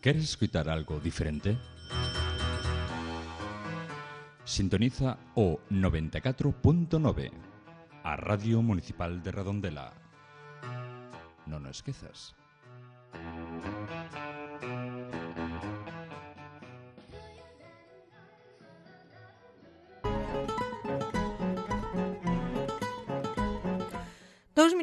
¿Queres escuchar algo diferente? Sintoniza o 94.9, a Radio Municipal de Redondela. Non o esquezas.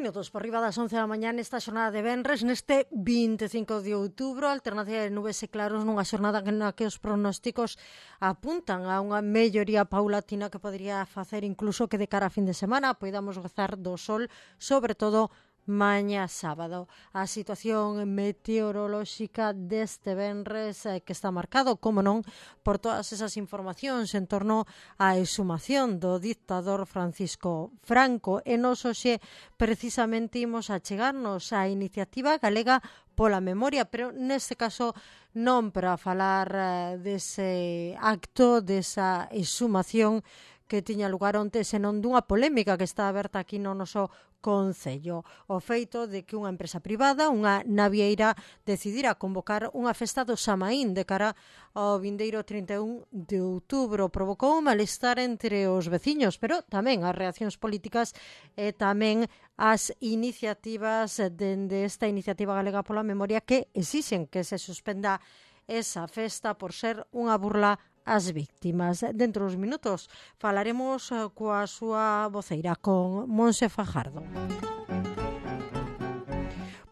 Minutos por riba das 11 da mañá nesta xornada de venres, neste 25 de outubro, alternancia de nubes e claros nunha xornada na que os pronósticos apuntan a unha melloría paulatina que podría facer incluso que de cara a fin de semana poidamos gozar do sol, sobre todo mañá sábado. A situación meteorolóxica deste venres que está marcado, como non, por todas esas informacións en torno á exhumación do dictador Francisco Franco. E nos hoxe precisamente imos a chegarnos á iniciativa galega pola memoria, pero neste caso non para falar dese acto, desa exhumación que tiña lugar onte, senón dunha polémica que está aberta aquí no noso concello. O feito de que unha empresa privada, unha navieira, decidira convocar unha festa do Samaín de cara ao vindeiro 31 de outubro. Provocou un malestar entre os veciños, pero tamén as reaccións políticas e tamén as iniciativas dende esta iniciativa galega pola memoria que exixen que se suspenda esa festa por ser unha burla as víctimas. Dentro dos minutos falaremos coa súa voceira, con Monse Fajardo.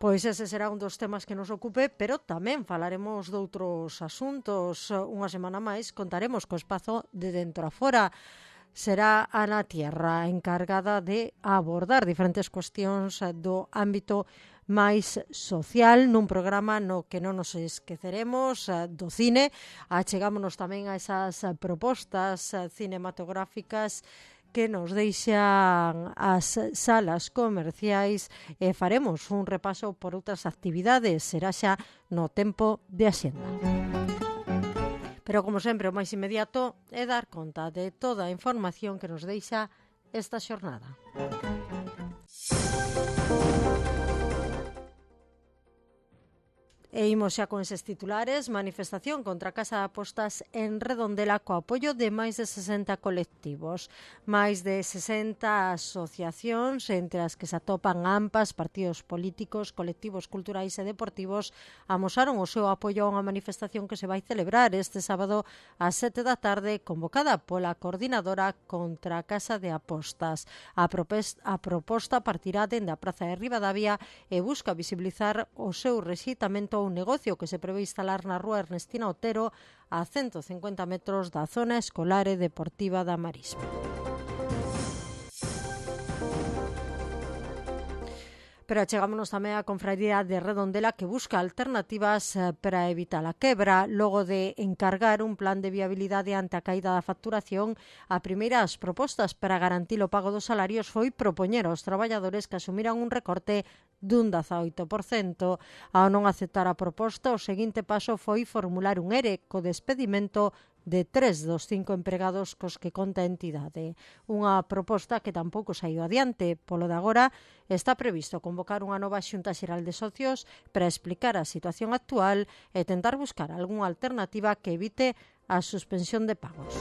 Pois ese será un dos temas que nos ocupe, pero tamén falaremos de outros asuntos. Unha semana máis contaremos co espazo de Dentro a Fora. Será Ana Tierra encargada de abordar diferentes cuestións do ámbito máis social nun programa no que non nos esqueceremos do cine. Achegámonos tamén a esas propostas cinematográficas que nos deixan as salas comerciais e faremos un repaso por outras actividades. Será xa no tempo de Axenda. Pero, como sempre, o máis inmediato é dar conta de toda a información que nos deixa esta xornada. E imos xa con eses titulares. Manifestación contra a Casa de Apostas en Redondela co apoio de máis de 60 colectivos. Máis de 60 asociacións, entre as que se atopan AMPAs, partidos políticos, colectivos culturais e deportivos, amosaron o seu apoio a unha manifestación que se vai celebrar este sábado ás 7 da tarde, convocada pola Coordinadora contra a Casa de Apostas. A proposta partirá dende a Praza de Ribadavia e busca visibilizar o seu rexeitamento un negocio que se prevé instalar na rúa Ernestina Otero a 150 metros da zona escolar e deportiva da Marisma. Pero chegámonos tamén á Confraría de Redondela, que busca alternativas para evitar a quebra. Logo de encargar un plan de viabilidade ante a caída da facturación, a primeira das propostas para garantir o pago dos salarios foi propoñer aos traballadores que asumiran un recorte dun 18%. Ao non aceptar a proposta, o seguinte paso foi formular un ERE co despedimento de 3 dos 5 empregados cos que conta a entidade. Unha proposta que tampouco saiu adiante. Polo de agora, está previsto convocar unha nova xunta xeral de socios para explicar a situación actual e tentar buscar algunha alternativa que evite a suspensión de pagos.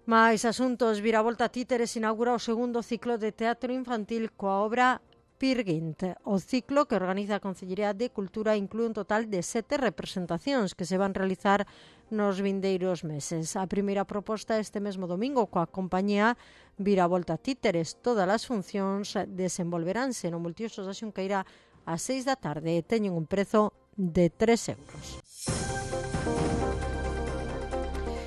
Mais asuntos. Viravolta Títeres inaugura o segundo ciclo de teatro infantil coa obra Pirguint. O ciclo que organiza a Consellería de Cultura inclúe un total de 7 representacións que se van realizar nos vindeiros meses. A primeira proposta este mesmo domingo coa compañía Viravolta Títeres. Todas as funcións desenvolveránse no Multiusos da Xunqueira ás 6 da tarde e teñen un prezo de 3 euros.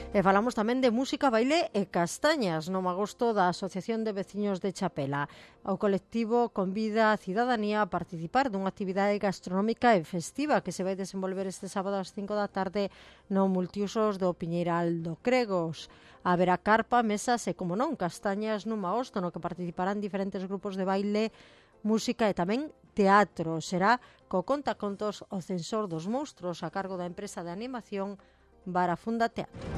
E falamos tamén de música, baile e castañas no magosto da Asociación de Veciños de Chapela. O colectivo convida a cidadanía a participar dunha actividade gastronómica e festiva que se vai desenvolver este sábado ás 5 da tarde no Multiusos do Piñeiral do Cregos. Haberá carpa, mesas e, como non, castañas nun magosto no que participarán diferentes grupos de baile, música e tamén teatro. Será co contacontos O Censor dos Monstros a cargo da empresa de animación Barafunda Teatro.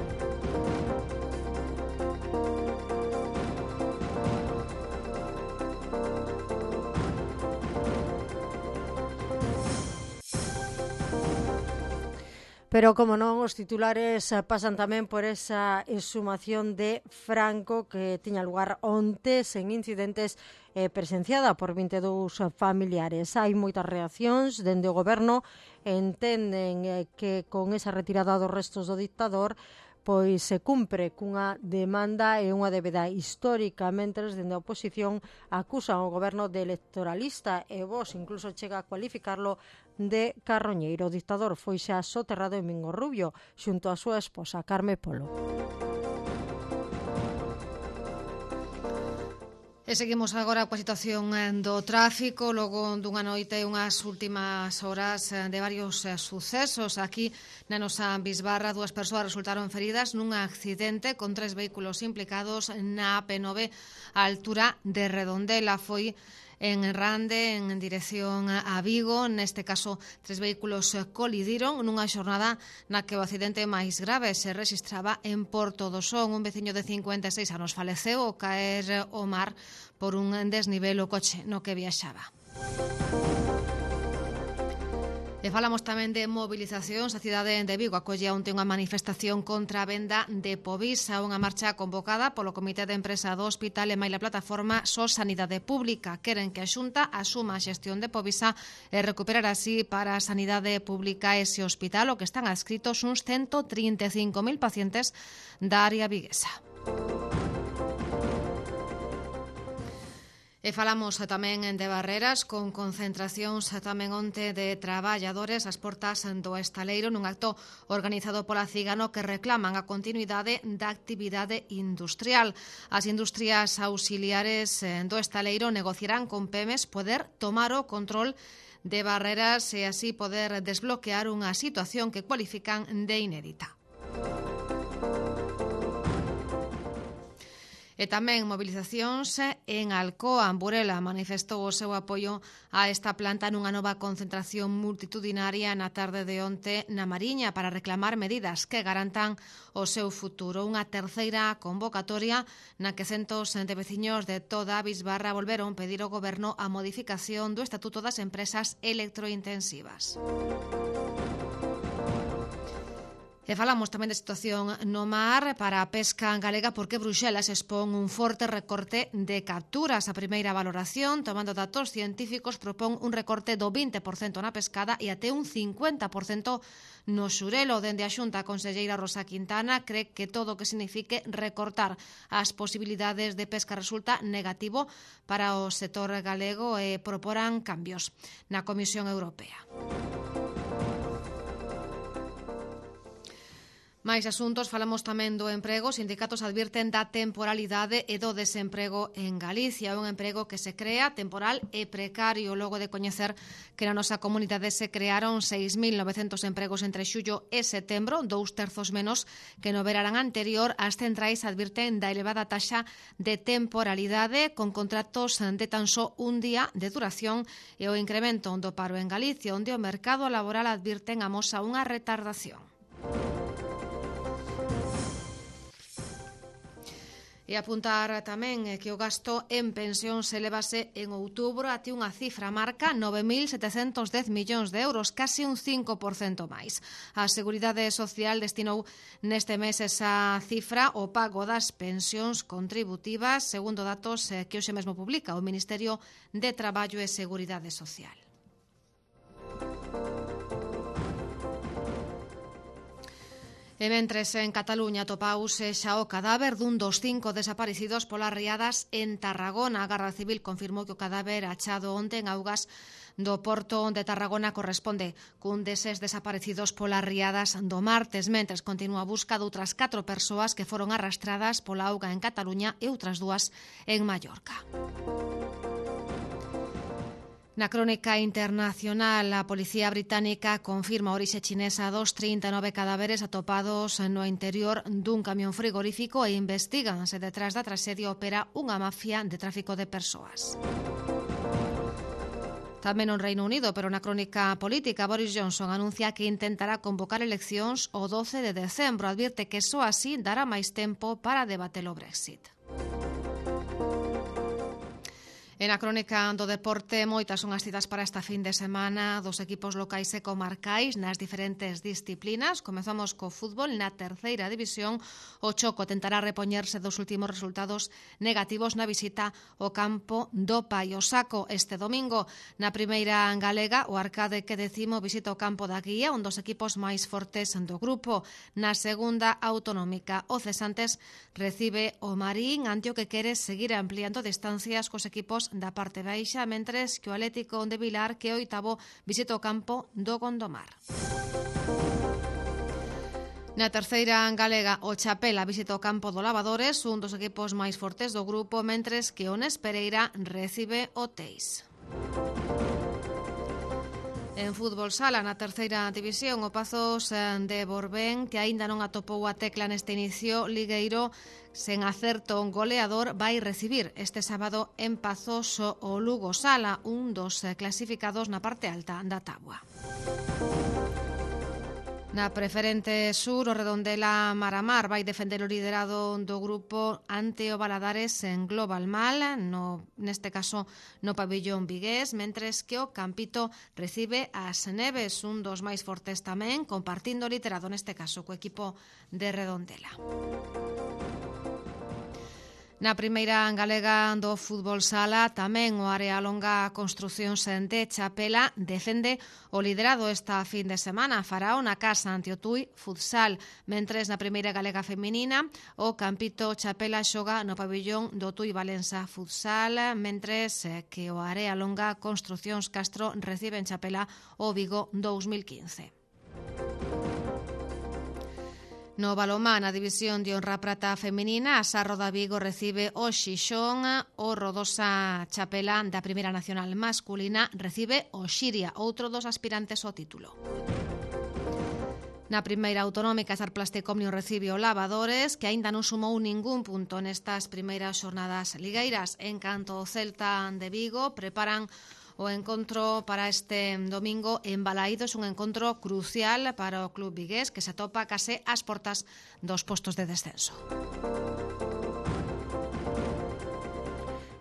Pero, como non, os titulares pasan tamén por esa exhumación de Franco que tiña lugar onte sen incidentes presenciada por 22 familiares. Hai moitas reaccións dende o goberno, entenden que con esa retirada dos restos do dictador pois se cumpre cunha demanda e unha débeda histórica, mentres dende a oposición acusan o goberno de electoralista e Vox incluso chega a cualificarlo de carroñeiro. O dictador foi xa soterrado en Mingorrubio xunto a súa esposa Carme Polo. E seguimos agora coa situación do tráfico, logo dunha noite e unhas últimas horas de varios sucesos. Aquí na nosa Bisbarra, 2 persoas resultaron feridas nun accidente con 3 vehículos implicados na AP9 á altura de Redondela. Foi en Rande, en dirección a Vigo. Neste caso, 3 vehículos colidiron nunha xornada na que o accidente máis grave se rexistraba en Porto do Son. Un veciño de 56 anos faleceu ao caer ao mar por un desnivel o coche no que viaxaba. E falamos tamén de movilizacións. A cidade de Vigo acolle onte unha manifestación contra a venda de Povisa, unha marcha convocada polo Comité de Empresa do Hospital e maila plataforma SOS Sanidade Pública. Queren que a Xunta asuma a xestión de Povisa e recuperar así para a sanidade pública ese hospital, o que están adscritos uns 135.000 pacientes da área viguesa. E falamos tamén de Barreras, con concentracións tamén onte de traballadores ás portas do estaleiro nun acto organizado pola Cigano que reclaman a continuidade da actividade industrial. As industrias auxiliares do estaleiro negociarán con Pemex poder tomar o control de Barreras e así poder desbloquear unha situación que cualifican de inédita. E tamén movilizacións en Alcoa. Burela manifestou o seu apoio a esta planta nunha nova concentración multitudinaria na tarde de onte na Mariña para reclamar medidas que garantan o seu futuro. Unha terceira convocatoria na que centos de veciños de toda a Bisbarra volveron pedir ao goberno a modificación do Estatuto das Empresas Electrointensivas. E falamos tamén de situación no mar para a pesca galega porque Bruxelas expón un forte recorte de capturas. A primeira valoración, tomando datos científicos, propón un recorte do 20% na pescada e até un 50% no xurelo. Dende a Xunta, a conselleira Rosa Quintana cree que todo o que signifique recortar as posibilidades de pesca resulta negativo para o sector galego e proporan cambios na Comisión Europea. Mais asuntos, falamos tamén do emprego. Os sindicatos advirten da temporalidade e do desemprego en Galicia. Un emprego que se crea temporal e precario, logo de coñecer que na nosa comunidade se crearon 6.900 empregos entre xullo e setembro, 2/3 menos que no verán anterior. As centrais advirten da elevada taxa de temporalidade con contratos de tan só un día de duración e o incremento do paro en Galicia, onde o mercado laboral advirten amosa unha retardación. E apuntar tamén que o gasto en pensións elevase en outubro até unha cifra marca 9.710 millóns de euros, case un 5% máis. A Seguridade Social destinou neste mes esa cifra ao pago das pensións contributivas, segundo datos que hoxe mesmo publica o Ministerio de Traballo e Seguridade Social. E mentres en Cataluña atopause xa o cadáver dun dos 5 desaparecidos polas riadas en Tarragona. A Garda Civil confirmou que o cadáver achado onte en augas do porto de Tarragona corresponde cun deses desaparecidos polas riadas do martes, mentres continúa a busca de outras 4 persoas que foron arrastradas pola auga en Cataluña e outras 2 en Mallorca. Na crónica internacional, a policía británica confirma a orixe chinesa dos 39 cadáveres atopados no interior dun camión frigorífico e investigan se detrás da traxedia opera unha mafia de tráfico de persoas. Tamén no Reino Unido, pero na crónica política, Boris Johnson anuncia que intentará convocar eleccións o 12 de decembro. Advirte que só así dará máis tempo para debater o Brexit. En a crónica do deporte, moitas son as citas para esta fin de semana dos equipos locais e comarcais nas diferentes disciplinas. Comezamos co fútbol na terceira división. O Choco tentará repoñerse dos últimos resultados negativos na visita ao campo do Paio Saco este domingo. Na primeira galega, o Arcade que decimo visita o campo da Guía, un dos equipos máis fortes do grupo. Na segunda autonómica, o Cesantes recibe o Marín ante o que quere seguir ampliando distancias cos equipos da parte baixa, mentres que o Atlético de Vilar, que oitavo, visita o campo do Gondomar. Na terceira galega, o Chapela visita o campo do Lavadores, un dos equipos máis fortes do grupo, mentres que o Nes Pereira recibe o Teis. En fútbol sala, na terceira división, o Pazos de Borbén, que aínda non atopou a tecla neste inicio ligueiro, sen acerto goleador, vai recibir este sábado en Pazos o Lugo Sala, un dos clasificados na parte alta da táboa. Na preferente sur, o Redondela Maramar vai defender o liderado do grupo ante o Valadares en Global Mal, neste caso no pabellón vigués, mentres que o Campito recibe as Neves, un dos máis fortes tamén, compartindo o liderado neste caso co equipo de Redondela. Na primeira galega do fútbol sala, tamén o Área Longa Construcións de Chapela defende o liderado esta fin de semana. Farao na casa ante o Tui Futsal, mentres na primeira galega feminina o Campito Chapela xoga no pabellón do Tui Valença Futsal, mentres que o Área Longa Construcións Castro recibe en Chapela o Vigo 2015. No balonmán, na división de honra prata feminina, a Sarro da Vigo recibe o Xixón, o Rodosa Chapela da Primeira Nacional masculina recibe o Xiria, outro dos aspirantes ao título. Na primeira autonómica, Sar Plasticomnio recibe o Lavadores, que aínda non sumou ningún punto nestas primeiras xornadas ligueiras. En canto ao Celta de Vigo, preparan o encontro para este domingo en Balaídos, un encontro crucial para o club vigués, que se atopa case ás portas dos postos de descenso.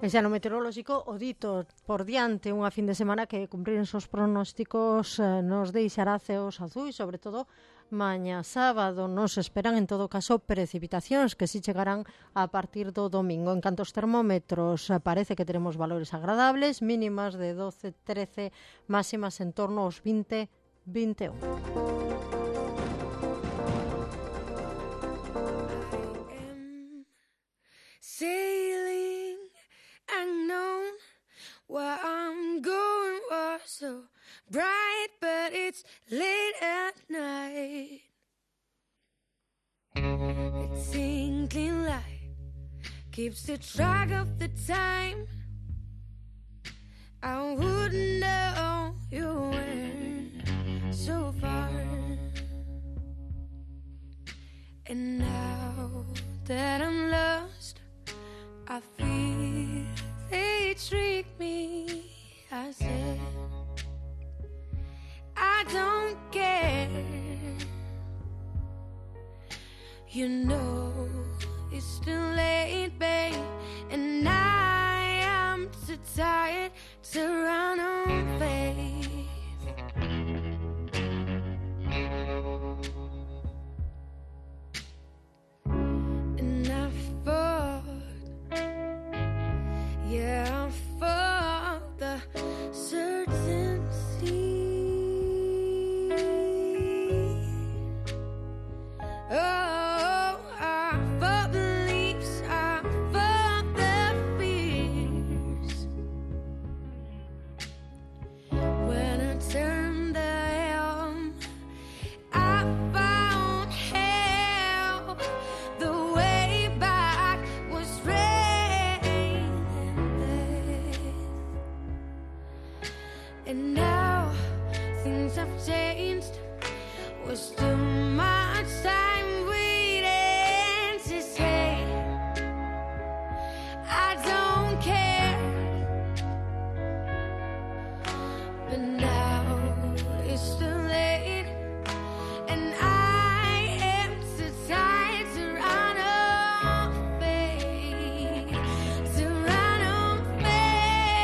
E xa no meteorolóxico, o dito por diante unha fin de semana que cumprir os pronósticos nos deixará ceos azuis, sobre todo mañá sábado. Nos esperan en todo caso precipitacións que si chegarán a partir do domingo. En canto aos termómetros, parece que teremos valores agradables, mínimas de 12-13, máximas en torno aos 20-21. Sailing unknown, where I'm going was so bright, but it's late at night. The twinkling light keeps the track of the time. I wouldn't know you went so far. And now that I'm lost, I feel they trick me. I said I don't care. You know it's still late, babe, and I am too tired to run on faith. And I fought, yeah, I fought the certainty. Oh, I fought beliefs, I fought the fears. When I turned the helm, I found hell. The way back was rain and death. And now things have changed. Was too much time waiting to say I don't care. But now it's too late, and I am too tired to run away, to run away.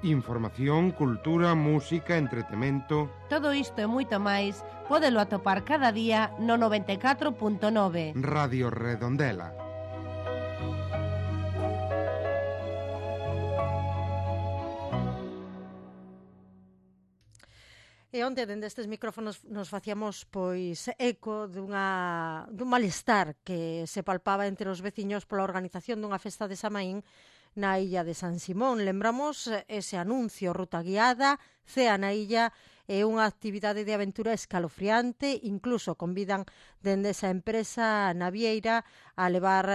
Información, cultura, música, entretemento... Todo isto e moito máis pódelo atopar cada día no 94.9 Radio Redondela. E onte, dende estes micrófonos, nos facíamos pois eco dun malestar que se palpaba entre os veciños pola organización dunha festa de Samaín na illa de San Simón. Lembramos ese anuncio, ruta guiada, cea na illa, é unha actividade de aventura escalofriante, incluso convidan dende esa empresa navieira a levar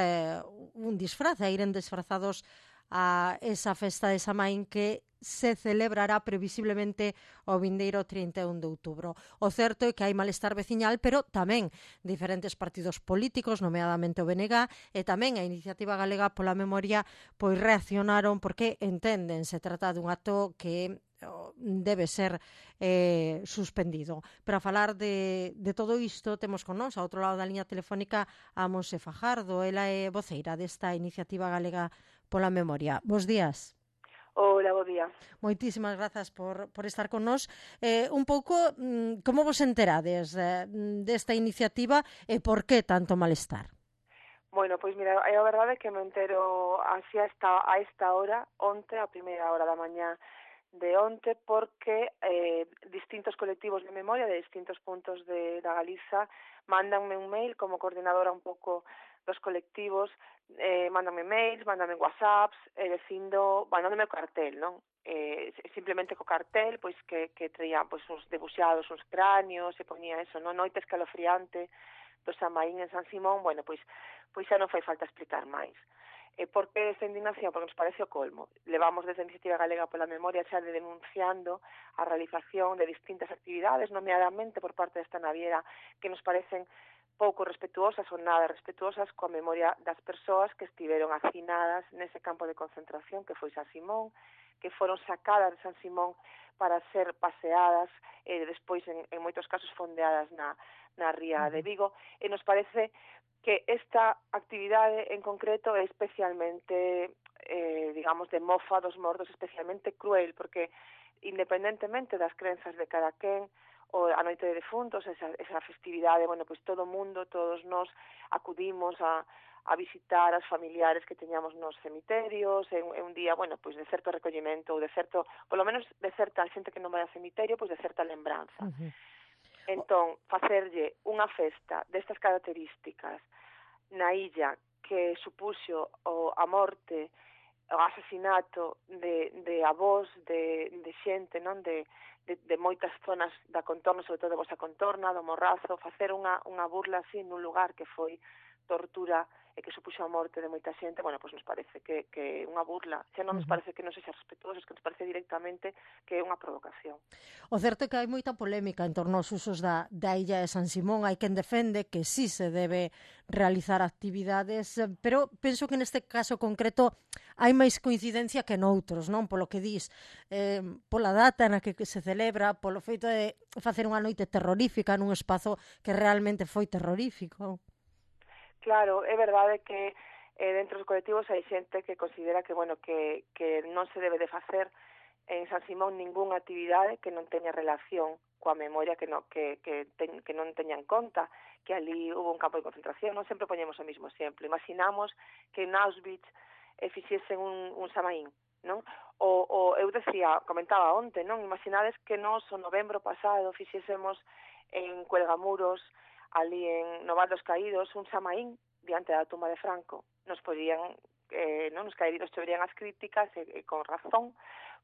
un disfraz, a iren disfrazados a esa festa de Samaín que se celebrará previsiblemente o vindeiro 31 de outubro. O certo é que hai malestar veciñal, pero tamén diferentes partidos políticos, nomeadamente o BNG, e tamén a Iniciativa Galega pola Memoria, pois reaccionaron porque entenden se trata dun acto que debe ser suspendido. Para falar de todo isto, temos con nós, ao outro lado da liña telefónica, a Monse Fajardo. Ela é voceira desta Iniciativa Galega pola Memoria. Bos días. Hola, bo día. Moitísimas grazas por estar con nós. Un pouco, como vos enterades desta iniciativa e por que tanto malestar? Bueno, pois mira, a verdade é que me entero así a esta hora, onte, a primeira hora da mañá de onte, porque distintos colectivos de memoria de distintos puntos da Galiza mandanme un mail como coordinadora un pouco dos colectivos, mándame mails, mándame whatsapps, mandándome o cartel, non? Simplemente co cartel, pois que traía pois uns debuxados, uns cráneos, se ponía eso, non? Noite escalofriante do Samaín en San Simón, bueno, pois xa non fai falta explicar máis. Por que esta indignación? Porque nos parece o colmo. Levamos desde a Iniciativa Galega pola Memoria xa denunciando a realización de distintas actividades, nomeadamente por parte desta naviera, que nos parecen pouco respetuosas ou nada respetuosas coa memoria das persoas que estiveron hacinadas nese campo de concentración que foi San Simón, que foron sacadas de San Simón para ser paseadas e despois en moitos casos fondeadas na ría de Vigo, e nos parece que esta actividade en concreto é especialmente, digamos, de mofa dos mortos, especialmente cruel, porque independentemente das crenzas de cada quen, o a noite de defuntos, esa festividade, bueno, pois todo o mundo, todos nós acudimos a visitar as familiares que teñamos nos cemiterios, é un día, bueno, pois de certo recollimento, ou de certo, polo menos de certa xente que non vai ao cemiterio, pois de certa lembranza. Entón, facerlle unha festa destas características na illa que supuxo a morte, o asasinato de avós, de xente, non, de moitas zonas da contorna, sobre todo da vosa contorna, do Morrazo, facer unha burla así nun lugar que foi tortura e que supuxo a morte de moita xente, bueno, pois nos parece que unha burla, xa non nos parece que non sexa respetuosos, que nos parece directamente que é unha provocación. O certo é que hai moita polémica en torno aos usos da illa de San Simón. Hai quen defende que sí se debe realizar actividades, pero penso que neste caso concreto hai máis coincidencia que noutros, non? Polo que dis, pola data na que se celebra, polo feito de facer unha noite terrorífica nun espazo que realmente foi terrorífico. Claro, é verdade que dentro dos colectivos hai xente que considera que, bueno, que non se debe de facer en San Simón ningunha actividade que non teña relación coa memoria, que non teña en conta que ali hubo un campo de concentración. Non sempre poñemos o mismo exemplo. Imaginamos que en Auschwitz fixesen un Samaín, non? O eu comentaba onte, non? Imaginades que nos o novembro pasado fixésemos en Cuelgamuros, ali no Val dos Caídos, un Samaín diante da tumba de Franco. Nos podían, nos caídos choverían as críticas, con razón,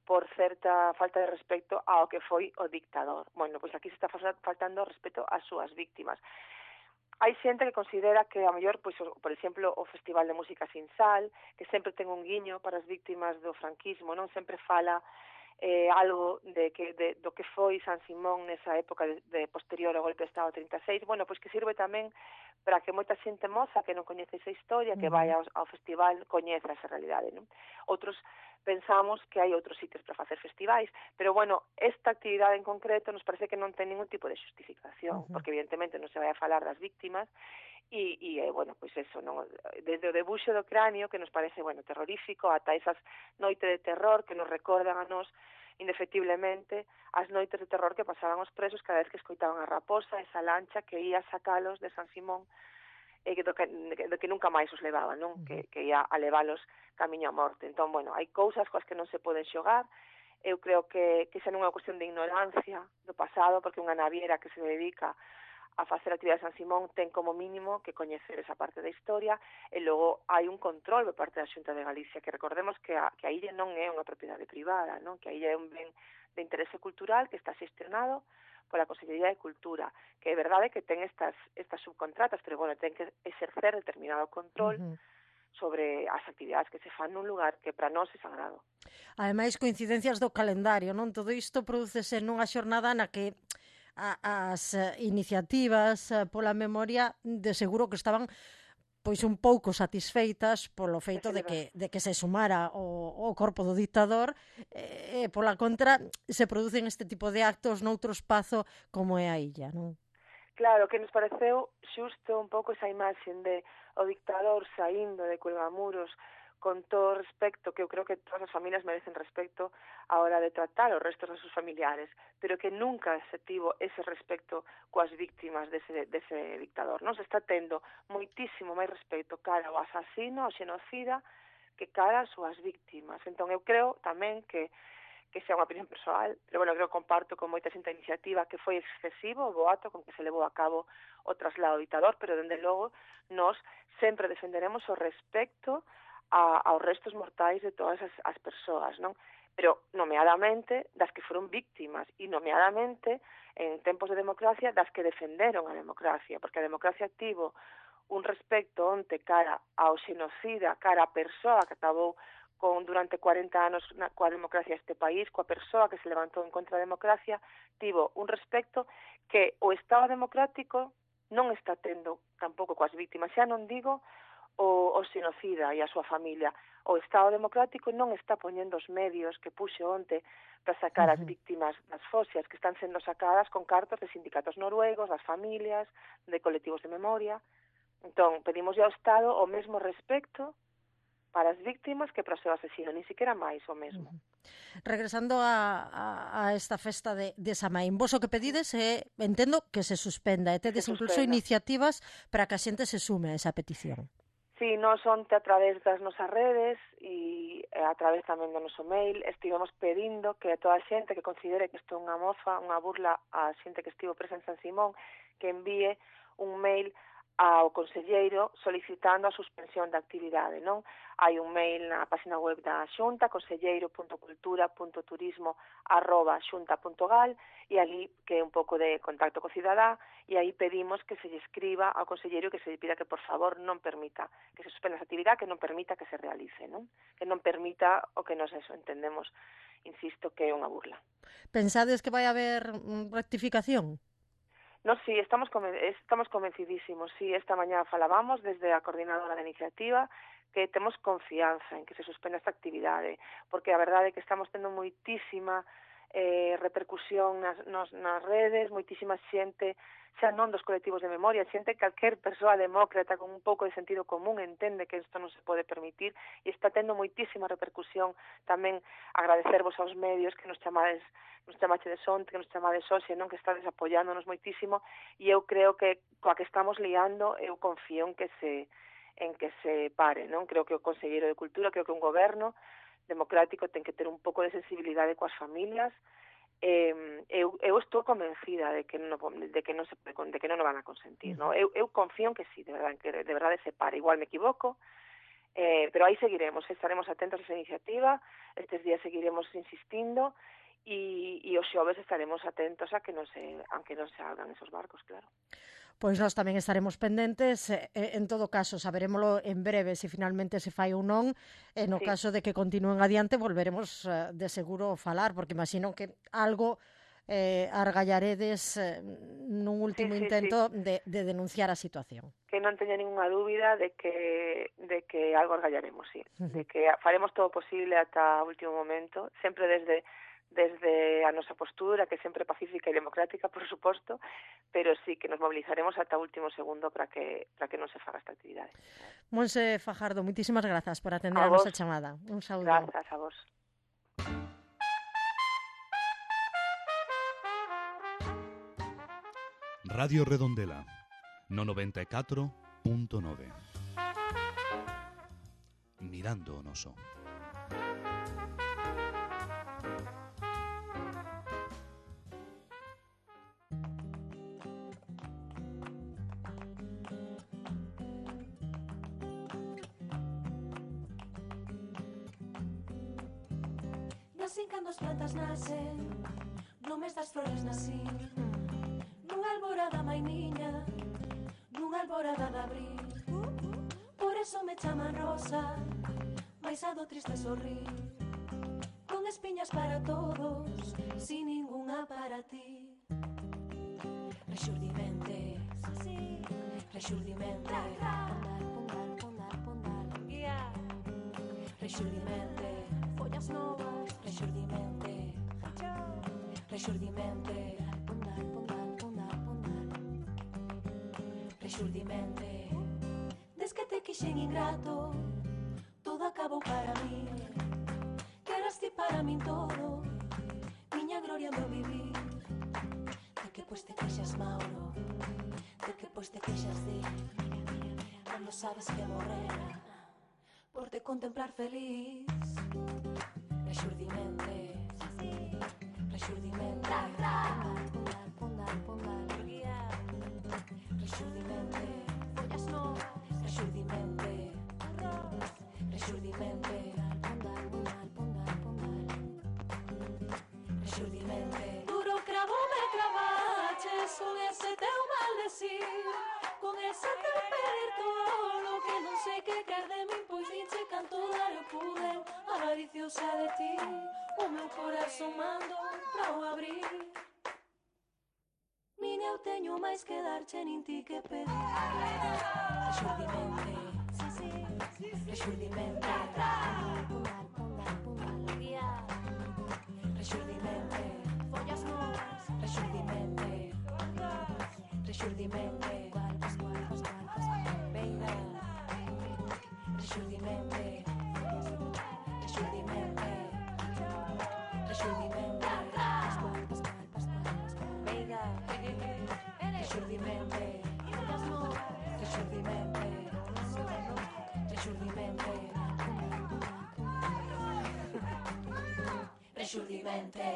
por certa falta de respecto ao que foi o dictador. Bueno, pois aquí se está faltando respeto ás súas víctimas. Hai xente que considera que, a mellor, pois, por exemplo, o Festival de Música Sin Sal, que sempre ten un guiño para as víctimas do franquismo, non sempre fala algo do que foi San Simón nesa época de posterior ao golpe de Estado 36, bueno, pois que sirve tamén para que moita xente moza que non coñece esa historia, que vai ao festival, coñeza esa realidade, non? Outros pensamos que hai outros sitios para facer festivais, pero bueno, esta actividade en concreto nos parece que non ten ningún tipo de justificación, porque evidentemente non se vai a falar das víctimas, bueno, pois eso, non? Desde o debuxo do cráneo, que nos parece, bueno, terrorífico, ata esas noites de terror que nos recordan a nos, indefectiblemente, as noites de terror que pasaban os presos cada vez que escoitaban a raposa, esa lancha que ia sacalos de San Simón, e do que nunca máis os levaba, non? Que ia a levalos camiño a morte. Entón, bueno, hai cousas coas que non se poden xogar. Eu creo que xa non é unha cuestión de ignorancia do pasado, porque unha naviera que se dedica a facer actividade de San Simón ten como mínimo que coñecer esa parte da historia, e logo hai un control por parte da Xunta de Galicia, que recordemos que a illa non é unha propiedade privada, non? Que a illa é un ben de interese cultural que está xestionado pola Consellería de Cultura, que é verdade que ten estas subcontratas, pero bueno, ten que exercer determinado control sobre as actividades que se fan nun lugar que para nós é sagrado. Ademais, coincidencias do calendario, non? Todo isto prodúcese nunha xornada na que as iniciativas pola memoria de seguro que estaban pois un pouco satisfeitas polo feito de que se sumara o corpo do dictador, e pola contra se producen este tipo de actos noutro espazo como é a illa, non? Claro, que nos pareceu xusto un pouco esa imaxe de o dictador saindo de Cuelgamuros con todo o respecto, que eu creo que todas as familias merecen respecto a hora de tratar os restos dos seus familiares, pero que nunca se tivo ese respecto coas víctimas dese dictador. Non se está tendo moitísimo máis respecto cara ao asasino, ao xenocida, que cara ás súas víctimas. Entón, eu creo tamén que sea unha opinión persoal, pero bueno, creo que comparto con moita xente a iniciativa que foi excesivo o boato con que se levou a cabo o traslado do dictador, pero dende logo nós sempre defenderemos o respecto aos restos mortais de todas as persoas, non? Pero nomeadamente das que foron víctimas e nomeadamente en tempos de democracia das que defenderon a democracia, porque a democracia tivo un respecto onte cara ao xenocida, cara á persoa que acabou durante 40 anos coa democracia este país, coa persoa que se levantou en contra da democracia, tivo un respecto que o Estado democrático non está tendo tampouco coas víctimas. Xa non digo o xenocida e a súa familia. O Estado democrático non está poñendo os medios que puxe onte para sacar as víctimas das fosias que están sendo sacadas con cartos de sindicatos noruegos, das familias, de colectivos de memoria. Entón, pedimos ao Estado o mesmo respecto para as víctimas que para o seu asesino, ni siquiera máis o mesmo. Regresando a esta festa de Samaín, vos o que pedides é, entendo, que se suspenda, e tedes incluso iniciativas para que a xente se sume a esa petición. Sí, nós onte a través das nosas redes e a través tamén do noso mail estivemos pedindo que a toda a xente que considere que isto é unha mofa, unha burla a xente que estivo presa en San Simón, que envíe un mail ao conselleiro solicitando a suspensión da actividade, non? Hai un mail na página web da Xunta, conselleiro.cultura.turismo@xunta.gal, e ali que é un pouco de contacto co cidadá, e aí pedimos que se lle escriba ao conselleiro que se lle pida que, por favor, non permita que se suspenda esa actividade, que non permita que se realice, non? Que non permita o que nos entendemos, insisto, que é unha burla. Pensades que vai haber rectificación? No, sí, estamos convencidísimos. Sí, esta mañá falábamos desde a coordinadora da iniciativa que temos confianza en que se suspenda esta actividade, porque a verdade é que estamos tendo moitísima repercusión nas redes, moitísima xente, xa non dos colectivos de memoria, xente, calquer persoa demócrata con un pouco de sentido común entende que isto non se pode permitir, e está tendo moitísima repercusión. Tamén agradecervos aos medios que nos chamaxedes onte, que nos chamades hoxe, non, que estades apoiándonos moitísimo, e eu creo que coa que estamos liando, eu confío en que se pare, non? Creo que o Conselleiro de Cultura, creo que un goberno democrático ten que ter un pouco de sensibilidade coas familias. Eu estou convencida de que non o van a consentir, non? Eu confío en que sí, de verdade se pare. Igual me equivoco, pero aí seguiremos, estaremos atentos a esa iniciativa, estes días seguiremos insistindo, e os xoves estaremos atentos a que aunque non se abran esos barcos, claro. Pois nós tamén estaremos pendentes, en todo caso, saberémolo en breve se finalmente se fai ou non, e no caso de que continúen adiante volveremos de seguro falar, porque imagino que algo argallaredes nun último intento de denunciar a situación. Que non teña ninguna dúbida de que algo argallaremos, sí. De que faremos todo o posible ata o último momento, sempre desde desde a nosa postura, que é sempre pacífica e democrática, por suposto, pero sí que nos mobilizaremos ata o último segundo para que non se faga esta actividade. Monse Fajardo, moitísimas grazas por atender a nosa chamada. Un saúdo. Grazas a vos. Radio Redondela, no 94.9. Mirando o noso. Nacen cando as plantas nacen, no mes das flores nacín, nunha alborada mainiña, nunha alborada de abril. Por eso me chaman rosa, mais a do triste sorrir, con espiñas para todos, sin ninguna para ti. Rexurdimente, rexurdimente, rexurdimente, follas novas, rexurdimente, rexurdimente, rexurdimente. Des que te quixen ingrato, todo acabou para mí. Que eras ti para min todo, miña gloria meu vivir. De que pois te queixas, Mauro, de que pois te queixas de cando sabes que morrera por te contemplar feliz. Rexurdimente, rexurdimente, rexurdimente, follas novas, rexurdimente, rexurdimente, rexurdimente. Duro cravo me cravaches con ese teu maldecir, con ese teu pedir todo que non sei que quer de min, pois dinche canto dar eu pude, avariciosa de ti, o meu corazón mando pra o abrir. Nin eu teño máis que darche, nin ti que pedir. Rexurdimente, rexurdimente, rexurdimente, follas novas, rexurdimente, rexurdimente, veina, rexurdimente, rexurdimente, rexurdimente, veina, rexurdimente, follas novas, rexurdimente, rexurdimente, rexurdimente.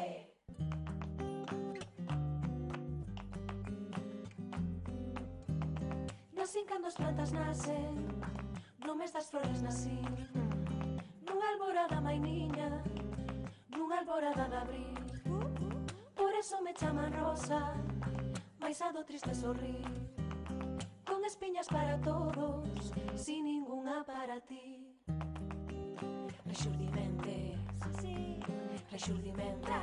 Nacen cando as plantas nacen, no mes das flores nacín, nunha alborada mainiña, nunha alborada de abril. Por eso me chaman rosa, mais a do triste sorrir, con espiñas para todos, sin ninguna para ti. Rexurdimente, rexurdimente,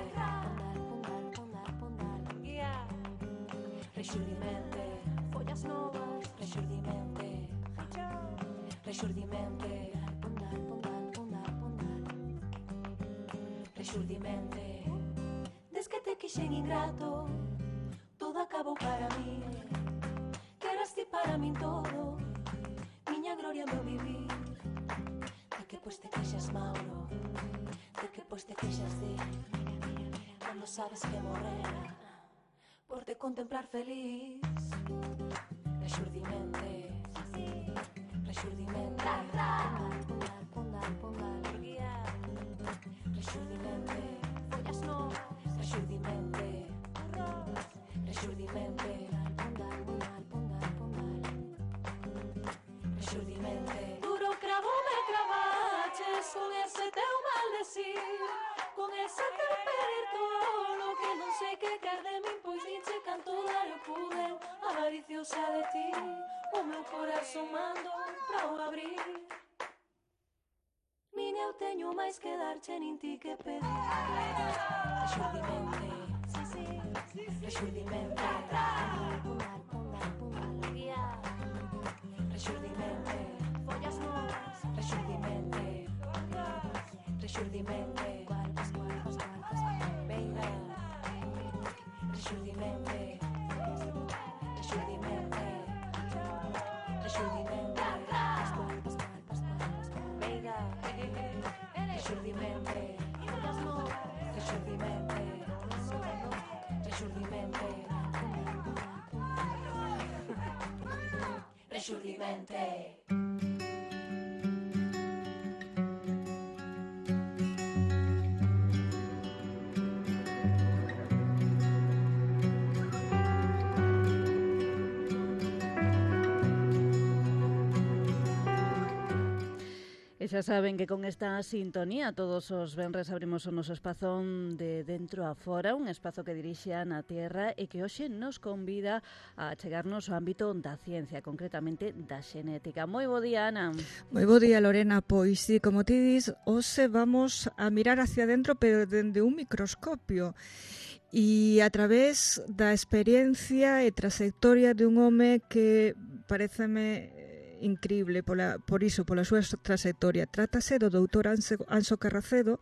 rexurdimente, follas novas, rexurdimente, rexurdimente, rexurdimente. Des que te quixen ingrato, todo acabou para mí. Que eras ti para min todo, miña gloria meu vivir. De que pois te queixas, Mauro, de que pois te queixas de cando sabes que morrera por te contemplar feliz. Rexurdimente, rexurdimente, rexurdimente, follas novas, rexurdimente, rexurdimente, rexurdimente. Duro cravo me cravaches con ese teu maldecir, con ese teu pedir todo que non sei que quer de min, pois dinche canto dar eu pude, avariciosa de ti, o meu corazón mando pra o abrir. Nin eu teño máis que darche, nin ti que pedir. Rexurdimente, rexurdimente, rexurdimente, follas novas, rexurdimente, rexurdimente, xurdimente. E xa saben que con esta sintonía todos os venres abrimos o noso espazón de dentro a fora, un espazo que dirixe Ana Tierra e que hoxe nos convida a chegarnos ao ámbito da ciencia, concretamente da xenética. Moi bo día, Ana. Moi bo día, Lorena. Pois sí, como ti dis, hoxe vamos a mirar hacia dentro, pero dende un microscopio. E a través da experiencia e trayectoria de un home que pareceme increíble pola súa trayectoria. Trátase do doutor Anxo Carracedo,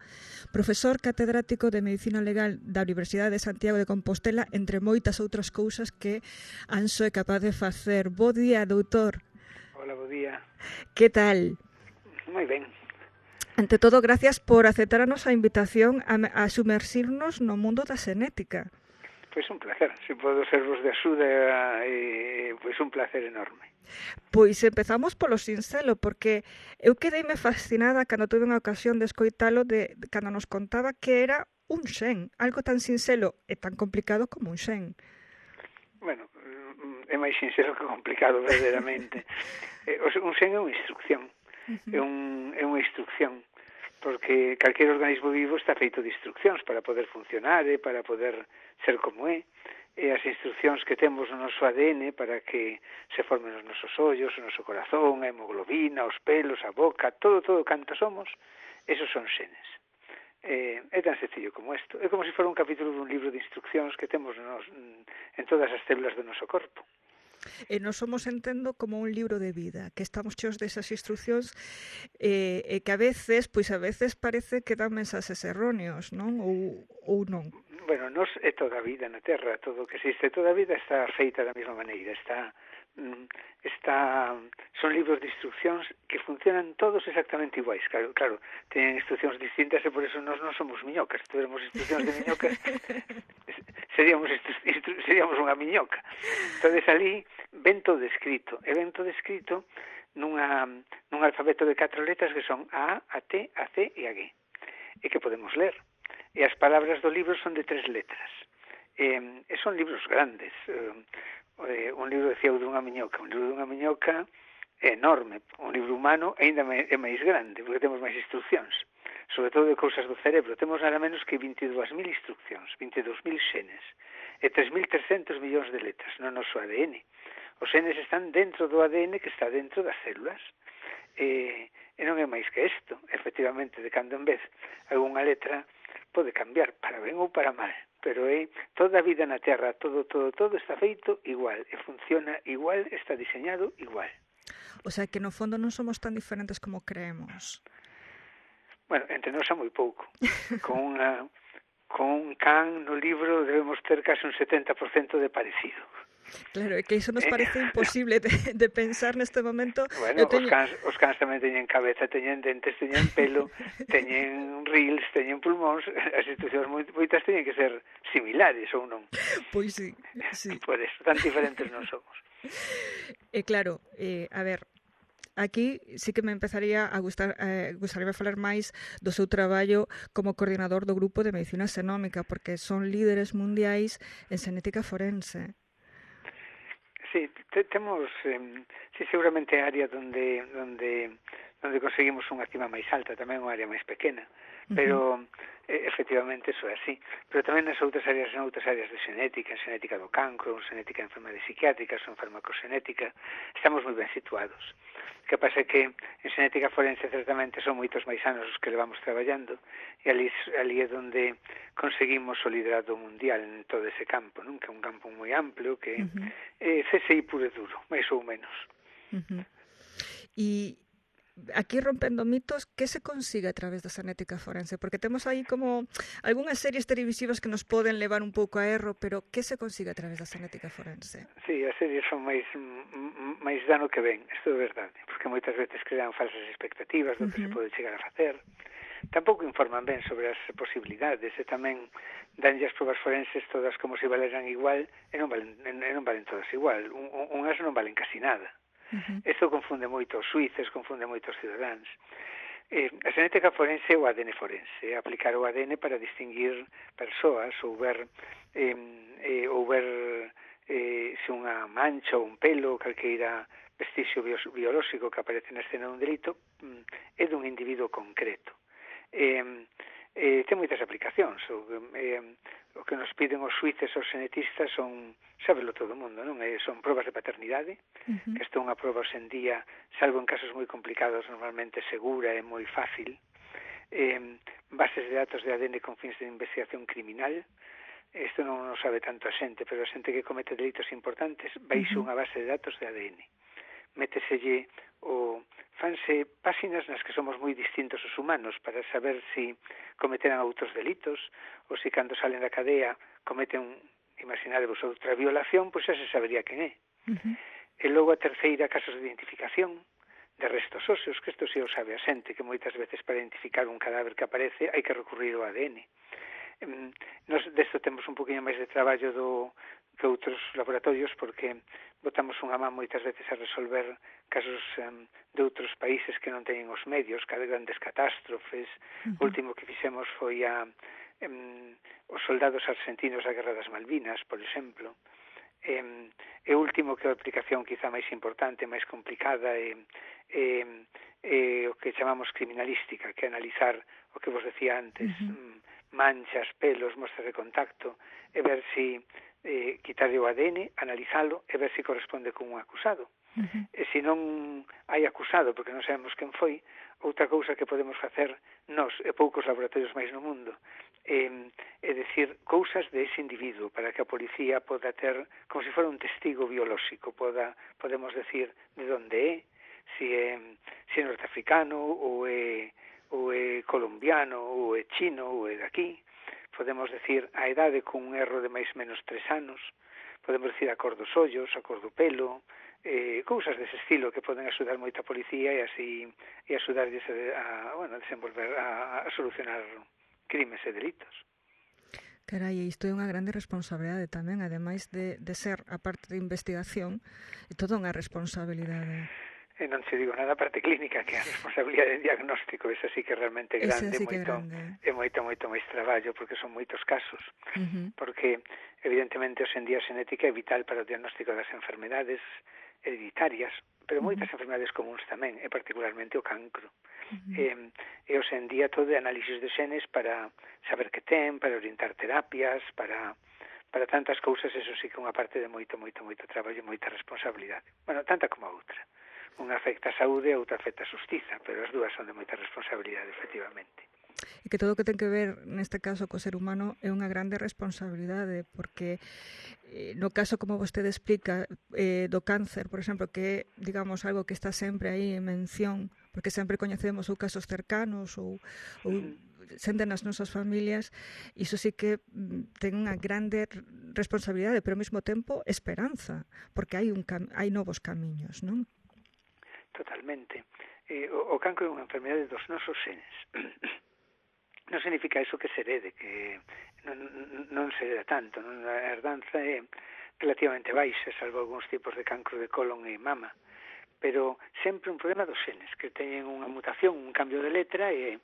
profesor catedrático de Medicina Legal da Universidade de Santiago de Compostela, entre moitas outras cousas que Anxo é capaz de facer. Bo día, doutor. Hola, bo día. Que tal? Moi ben. Ante todo, gracias por aceptar a nosa invitación a sumerxirnos no mundo da xenética. Pois un placer. Se podo servos de axuda, pois un placer enorme. Pois empezamos polo sinxelo, porque eu quedeime fascinada cando tuve unha ocasión de escoitalo cando nos contaba que era un xen, algo tan sinxelo e tan complicado como un xen. Bueno, é máis sinxelo que complicado, verdadeiramente. Un xen é unha instrucción, é unha instrucción, porque calquer organismo vivo está feito de instruccións para poder funcionar e para poder ser como é. E as instruccións que temos no noso ADN para que se formen os nosos ollos, o noso corazón, a hemoglobina, os pelos, a boca, todo canto somos, esos son xenes. É tan sencillo como isto. É como se fora un capítulo dun libro de instruccións que temos en todas as células do noso corpo. E nós somos, entendo, como un libro de vida, que estamos cheos desas instruccións e que a veces parece que dan mensaxes erróneos, non? Ou non? Bueno, nos é toda a vida na Terra, todo o que existe, toda a vida está feita da mesma maneira, son libros de instruccións que funcionan todos exactamente iguais, claro, teñen instruccións distintas e por eso nós non somos miñocas. Se tuviéramos instruccións de miñocas seríamos unha miñoca. Entonces ali ven todo escrito, e ven todo escrito nun alfabeto de 4 letras que son A, A, T, A, C e A, G, e que podemos ler. E as palabras do libro son de 3 letras. E son libros grandes. Un libro de Ciego dunha miñoca. Un libro dunha miñoca é enorme. Un libro humano ainda é máis grande, porque temos máis instruccións. Sobre todo de cousas do cerebro. Temos nada menos que 22.000 instruccións, 22.000 xenes, e 3.300 millóns de letras no noso ADN. Os xenes están dentro do ADN que está dentro das células. E non é máis que isto. Efectivamente, de cando en vez, algunha letra pode cambiar para ben ou para mal, pero toda a vida na Terra, todo está feito igual, e funciona igual, está diseñado igual. O sea, que no fondo non somos tan diferentes como creemos. Bueno, entre nós é moi pouco. Con un can no libro debemos ter case un 70% de parecido. Claro, é que iso nos parece imposible de pensar neste momento. Bueno, os cans tamén teñen cabeza, teñen dentes, teñen pelo, teñen rils, teñen pulmóns. As instruccións moitas teñen que ser similares ou non? Pois sí. Por eso, tan diferentes non somos. E claro, a ver, aquí sí que me empezaría a gustaría falar máis do seu traballo como coordinador do grupo de medicina xenómica, porque son líderes mundiais en xenética forense. Sí, temos seguramente a área onde conseguimos unha cima máis alta, tamén unha área máis pequena, pero efectivamente eso é así. Pero tamén nas outras áreas de xenética, en xenética do cancro, en xenética de enfermedades psiquiátricas, en farmacoxenética, estamos moi ben situados. O que pasa é que en xenética forense certamente son moitos máis anos os que levamos traballando, e ali é onde conseguimos o liderado mundial en todo ese campo, non? Que é un campo moi amplio, que é CSI puro e duro, máis ou menos. E aquí, rompendo mitos, que se consigue a través da xenética forense? Porque temos aí como algunhas series televisivas que nos poden levar un pouco a erro, pero que se consigue a través da xenética forense? Sí, as series son máis dano que ven, isto é verdade, porque moitas veces crean falsas expectativas do que se pode chegar a facer. Tampouco informan ben sobre as posibilidades, e tamén danlle as probas forenses todas como se valeran igual, e non valen todas igual. Unhas non valen casi nada. Isto confunde moito os suíces, confunde moito os cidadáns. A xenética forense é o ADN forense, aplicar o ADN para distinguir persoas ou ver se unha mancha ou un pelo, calqueira vestigio biolóxico que aparece na escena dun delito é dun individuo concreto. Ten moitas aplicacións. O que nos piden os suíces, os genetistas, son, sábelo todo o mundo, non? Son probas de paternidade, que isto é unha proba hoxendía, salvo en casos moi complicados, normalmente segura e moi fácil. Bases de datos de ADN con fins de investigación criminal. Isto non o sabe tanto a xente, pero a xente que comete delitos importantes baixa unha base de datos de ADN. Méteselle fanse páxinas nas que somos moi distintos os humanos para saber se cometeran outros delitos ou se cando salen da cadea cometen, imaginadevos, outra violación, pois xa se sabería quen é. E logo a terceira, casos de identificación de restos óseos, que isto si o sabe a xente, que moitas veces para identificar un cadáver que aparece hai que recurrir ao ADN. Nos desto temos un poquinho máis de traballo que outros laboratorios, porque botamos unha man moitas veces a resolver casos de outros países que non teñen os medios, cada grandes catástrofes. O último que fixemos foi os soldados argentinos da Guerra das Malvinas, por exemplo. E o último, que é a aplicación quizá máis importante, máis complicada, é o que chamamos criminalística, que é analizar o que vos decía antes, manchas, pelos, mostras de contacto, e ver se quitarlle o ADN, analizalo e ver se corresponde con un acusado. E se non hai acusado, porque non sabemos quen foi, outra cousa que podemos facer nós e poucos laboratorios máis no mundo é decir cousas de ese individuo para que a policía poda ter, como se fora un testigo biolóxico, podemos decir de onde é, se é norteafricano ou é colombiano ou é chino ou é daqui. Podemos decir a idade con un erro de máis menos 3 anos, podemos decir a cor dos ollos, a cor do pelo, cousas dese estilo que poden axudar moito a policía e axudarlles a desenvolver, a solucionar crimes e delitos. Carai, isto é unha grande responsabilidade tamén, ademais de ser a parte de investigación, é toda unha responsabilidade. E non se digo nada a parte clínica, que é a responsabilidade de diagnóstico, esa sí que é realmente grande, é moito máis traballo, porque son moitos casos, porque evidentemente hoxendía a xenética é vital para o diagnóstico das enfermedades hereditarias, pero moitas enfermedades comuns tamén, e particularmente o cancro. E hoxendía todo é análisis de xenes para saber que ten, para orientar terapias, para tantas cousas. Eso sí que é unha parte de moito traballo e moita responsabilidade. Bueno, tanta como a outra. Unha afecta a saúde e outra afecta a xustiza, pero as dúas son de moita responsabilidade, efectivamente. E que todo o que ten que ver neste caso co ser humano é unha grande responsabilidade, porque no caso, como vostede explica, do cáncer, por exemplo, que é, digamos, algo que está sempre aí en mención, porque sempre coñecemos ou casos cercanos ou xente nas nosas familias, iso sí que ten unha grande responsabilidade, pero ao mesmo tempo esperanza, porque hai novos camiños, non? Totalmente. O cancro é unha enfermedade dos nosos xenes. Non significa iso que se herede, que non se hereda tanto. A herdanza é relativamente baixa, salvo algúns tipos de cancro de colon e mama. Pero sempre un problema dos xenes, que teñen unha mutación, un cambio de letra e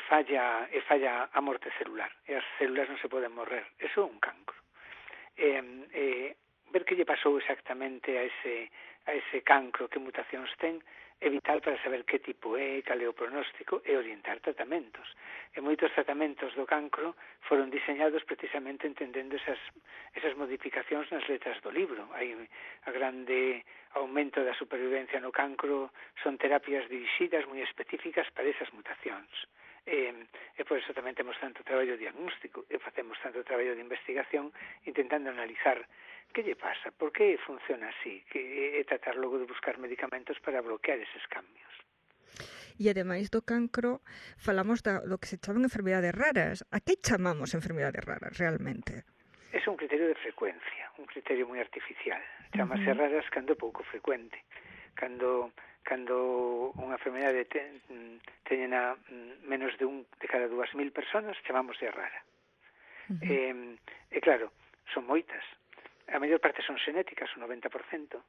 falla a morte celular. E as células non se poden morrer. Eso é un cancro. Ver que lle pasou exactamente a ese cancro, que mutacións ten, é vital para saber que tipo é, cal é o pronóstico e orientar tratamentos. E moitos tratamentos do cancro foron diseñados precisamente entendendo esas modificacións nas letras do libro. Hai a grande aumento da supervivencia no cancro, son terapias dirixidas moi específicas para esas mutacións. E por eso tamén temos tanto traballo diagnóstico e facemos tanto traballo de investigación intentando analizar que lle pasa, por que funciona así, e tratar logo de buscar medicamentos para bloquear eses cambios. E ademais do cancro, falamos do que se chaman enfermedades raras. A que chamamos enfermedades raras realmente? É un criterio de frecuencia, un criterio moi artificial. Chamase raras cando é pouco frecuente. Cando unha enfermedade teñena menos de cada 2.000 personas, chamamos de rara. E claro, son moitas. A maior parte son xenéticas, o 90%,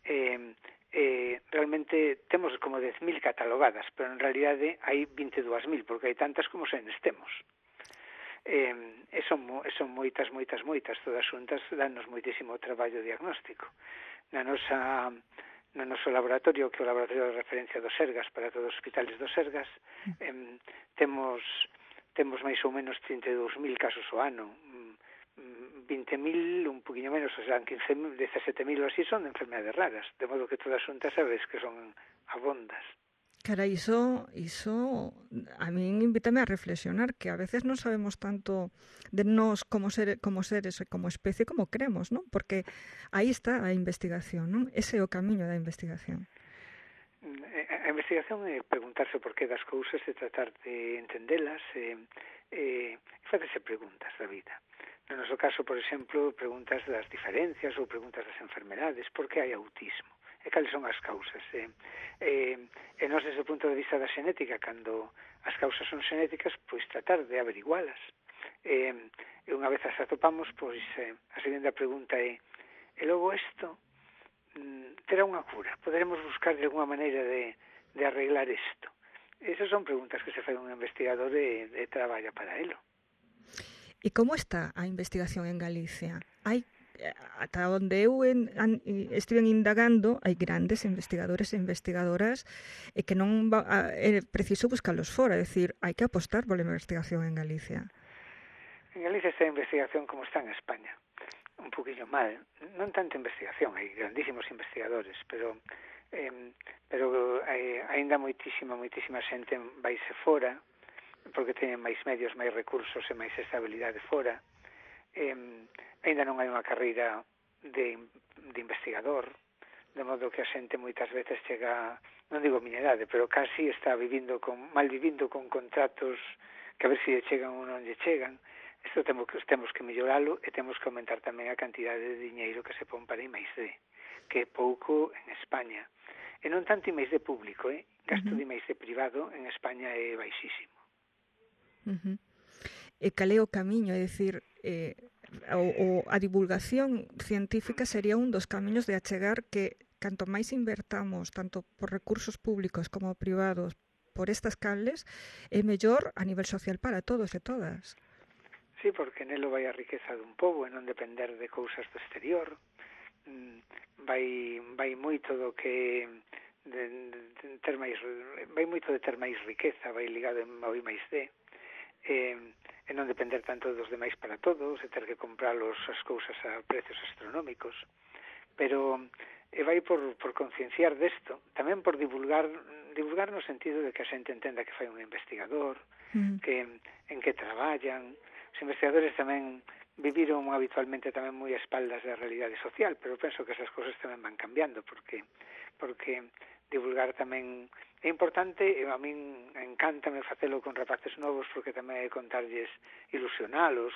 realmente temos como 10.000 catalogadas, pero en realidade hai 22.000, porque hai tantas como se nestemos. Son moitas, todas xuntas danos moitísimo traballo diagnóstico. No noso laboratorio, que é o laboratorio de referencia do Sergas para todos os hospitales do Sergas, temos máis ou menos 32.000 casos ao ano, 20.000, un poquinho menos, o sea, 15.000, 17.000 ou así son de enfermedades raras, de modo que todas xuntas sabes que son abondas. Cara, iso a min invítame a reflexionar, que a veces non sabemos tanto de nós como seres e como especie como creemos, non? Porque aí está a investigación, non? Ese é o camiño da investigación. A investigación é preguntarse por qué das cousas e tratar de entendelas e facerse preguntas da vida. No noso caso, por exemplo, preguntas das diferencias ou preguntas das enfermedades, por que hai autismo? E cales son as causas? E nós, desde o punto de vista da xenética, cando as causas son xenéticas, pois tratar de averigualas. E unha vez as atopamos, pois a segunda pregunta é: e logo isto terá unha cura? Poderemos buscar de alguma maneira de arreglar isto? Esas son preguntas que se fai un investigador e traballa para elo. E como está a investigación en Galicia? Hai ata onde eu estiven indagando, hai grandes investigadores e investigadoras e que non é preciso buscarlos fora, é dicir, hai que apostar pola investigación en Galicia. En Galicia está a investigación como está en España, un poquinho mal, non tanto investigación, hai grandísimos investigadores, pero aínda moitísima xente vaise fora, porque teñen máis medios, máis recursos e máis estabilidade fora. Ainda non hai unha carreira de investigador, de modo que a xente moitas veces chega, non digo miña idade, pero casi está mal vivindo con contratos que a ver se chegan ou non lle chegan. Isto temos que melloralo e temos que aumentar tamén a cantidade de diñeiro que se pon para I+D, que é pouco en España. E non tanto I+D público, gasto de I+D privado en España é baixísimo. E cal é o camiño, é dicir, a divulgación científica sería un dos camiños de achegar que canto máis invertamos, tanto por recursos públicos como privados, por estas canles, é mellor a nivel social para todos e todas. Sí, porque nelo vai a riqueza dun pobo e non depender de cousas do exterior. Vai moito do que vai moito de ter máis riqueza, vai ligado ao I+D. E non depender tanto dos demais para todos e ter que compralos as cousas a precios astronómicos, pero vai por concienciar desto, tamén por divulgar no sentido de que a xente entenda que fai un investigador, que en que traballan. Os investigadores tamén viviron habitualmente tamén moi a espaldas da realidade social, pero penso que esas cousas tamén van cambiando, porque divulgar tamén é importante, e a min encántame facelo con rapaces novos, porque tamén é contarlles, ilusionalos,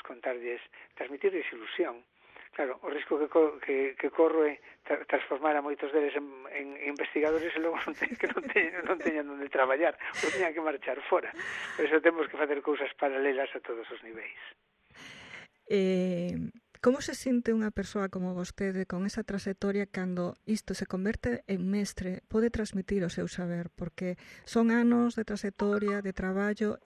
transmitirlles ilusión. Claro, o risco que corro é transformar a moitos deles en investigadores e logo non teñan onde traballar, ou teñan que marchar fora. Por iso temos que facer cousas paralelas a todos os niveis. Como se sinte unha persoa como vostede con esa trayectoria cando isto se converte en mestre, pode transmitir o seu saber, porque son anos de trayectoria, de traballo,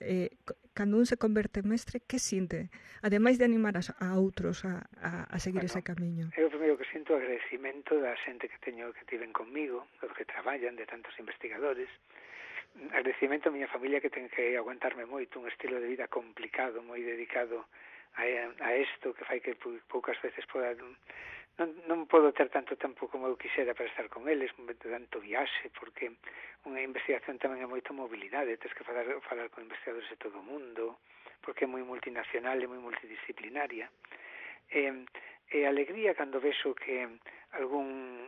cando un se converte en mestre, que sinte? Ademais de animar a outros a seguir ese camiño. Eu primeiro que sinto agradecimento da xente que tiven conmigo, dos que traballan, de tantos investigadores, agradecimento a miña familia que ten que aguantarme moito, un estilo de vida complicado, moi dedicado a isto, que fai que poucas veces non podo ter tanto tempo como eu quixera para estar con eles, tanto viaxe, porque unha investigación tamén é moito mobilidade, tens que falar con investigadores de todo o mundo, porque é moi multinacional e moi multidisciplinaria. E alegría cando vexo que algún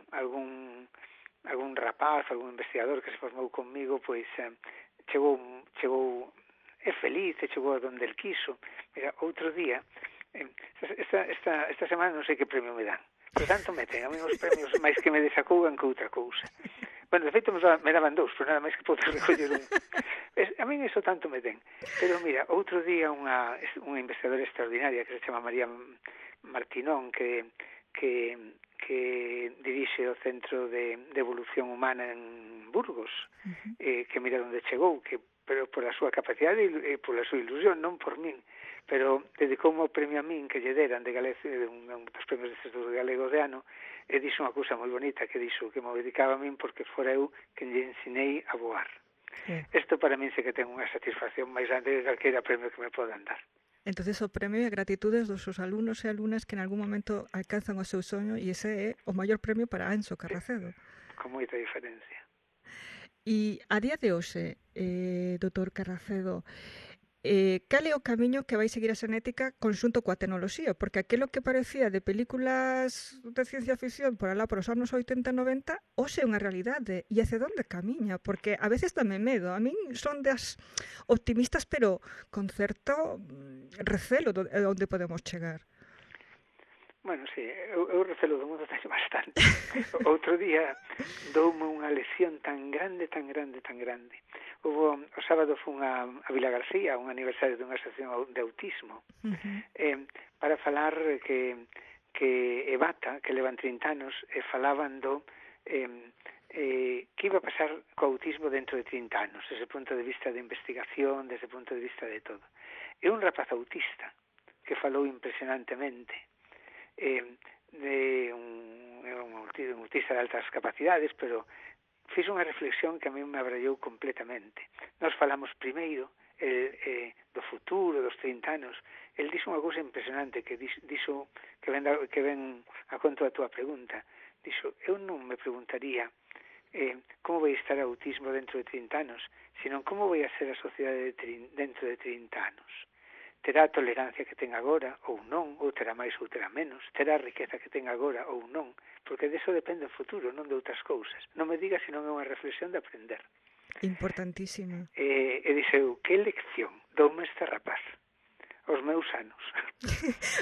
rapaz, algún investigador que se formou conmigo, pois chegou é feliz e chegou a donde el quiso. Mira, outro día, esta semana non sei que premio me dan, pero tanto me ten, a mí os premios máis que me desacougan que outra cousa. Bueno, de feito me daban dous, pero nada máis que podo recoller un. A mí iso tanto me ten. Pero mira, outro día unha investigadora extraordinaria que se chama María Martinón, que dirixe o Centro de Evolución Humana en Burgos, que mira onde chegou, pero por a súa capacidade e por a súa ilusión, non por min, pero dedicoume o premio a min que lle deran de Galicia, un dos premios destes do galego de ano, e dixo unha cousa moi bonita, que dixo que me dedicaba a min porque fora eu que lle ensinei a voar. Isto para min sei que ten unha satisfacción máis grande que calquera premio que me podan dar. Entonces o premio é gratitudes dos seus alumnos e alumnas que en algún momento alcanzan o seu soño, e ese é o maior premio para Anxo Carracedo. Con moita diferencia. E a día de hoxe, doutor Carracedo, cal é o camiño que vai seguir a xenética conxunto coa tecnoloxía? Porque aquilo que parecía de películas de ciencia ficción por alá por os anos 80 e 90, hoxe é unha realidade. E hacia onde camiña? Porque a veces dame medo. A min son das optimistas, pero con certo recelo de onde podemos chegar. Bueno, sí, eu recelo do mundo teño bastante. Outro día doume unha lesión tan grande. O sábado fun a Vila García, un aniversario dunha asociación de autismo, para falar que Evata, que levan 30 anos, falaban do que iba a pasar co autismo dentro de 30 anos, desde o punto de vista de investigación, desde o punto de vista de todo. É un rapaz autista que falou impresionantemente, de un autista de altas capacidades, pero fiz unha reflexión que a mí me abrallou completamente. Nós falamos primeiro do futuro, dos 30 anos. El dixo unha cousa impresionante que dixo que ven a conto da túa pregunta. Dixo, eu non me preguntaría como vai estar o autismo dentro de 30 anos, sino como vai a ser a sociedade dentro de 30 anos. Terá a tolerancia que ten agora ou non, ou terá máis ou terá menos, terá a riqueza que ten agora ou non, porque deso depende o futuro, non de outras cousas. Non me diga se non é unha reflexión de aprender. Importantísima. E dixeu, que lección doume este rapaz aos meus anos.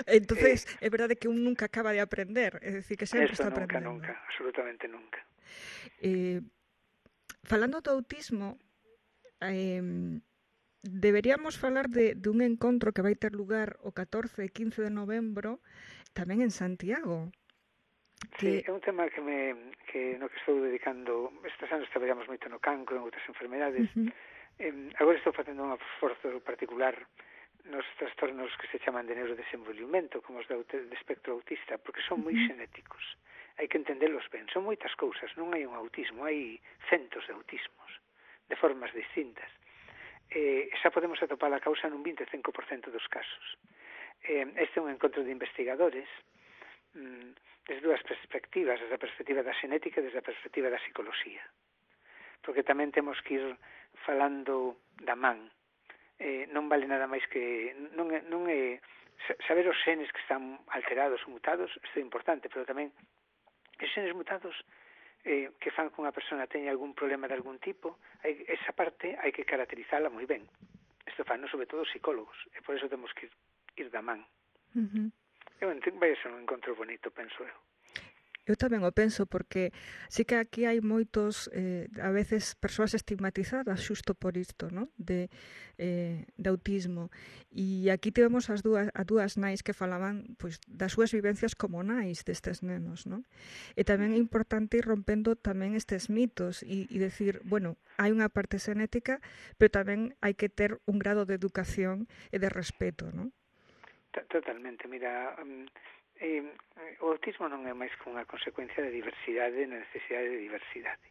Entonces, é verdade que un nunca acaba de aprender, é dicir, que sempre está aprendendo. Nunca, absolutamente nunca. Falando do autismo, deberíamos falar de un encontro que vai ter lugar o 14 e 15 de novembro tamén en Santiago. Sí, é un tema que no que estou dedicando. Estes anos traballamos moito no cancro, en outras enfermedades. Agora estou facendo un esforzo particular nos trastornos que se chaman de neurodesenvolvimento, como os de espectro autista, porque son moi xenéticos. Hai que entendelos ben. Son moitas cousas, non hai un autismo, hai centos de autismos, de formas distintas. Xa podemos atopar a causa nun 25% dos casos. Este é un encontro de investigadores desde dúas perspectivas, desde a perspectiva da xenética e desde a perspectiva da psicoloxía. Porque tamén temos que ir falando da man. Non vale nada máis que non é saber os xenes que están alterados ou mutados, isto é importante, pero tamén os xenes mutados que fan que unha persona teña algún problema de algún tipo, esa parte hai que caracterizala moi ben. Isto fan, sobre todo, os psicólogos, e por eso temos que ir da man. Vai ser un encontro bonito, penso eu. Eu tamén o penso, porque sí que aquí hai moitos, a veces, persoas estigmatizadas xusto por isto, ¿no? de autismo. E aquí tivemos as dúas nais que falaban pois, das súas vivencias como nais destes nenos, ¿no? E tamén é importante ir rompendo tamén estes mitos e decir, bueno, hai unha parte xenética, pero tamén hai que ter un grado de educación e de respeto, ¿no? Totalmente, mira, o autismo non é máis que unha consecuencia de diversidade e necesidade de diversidade.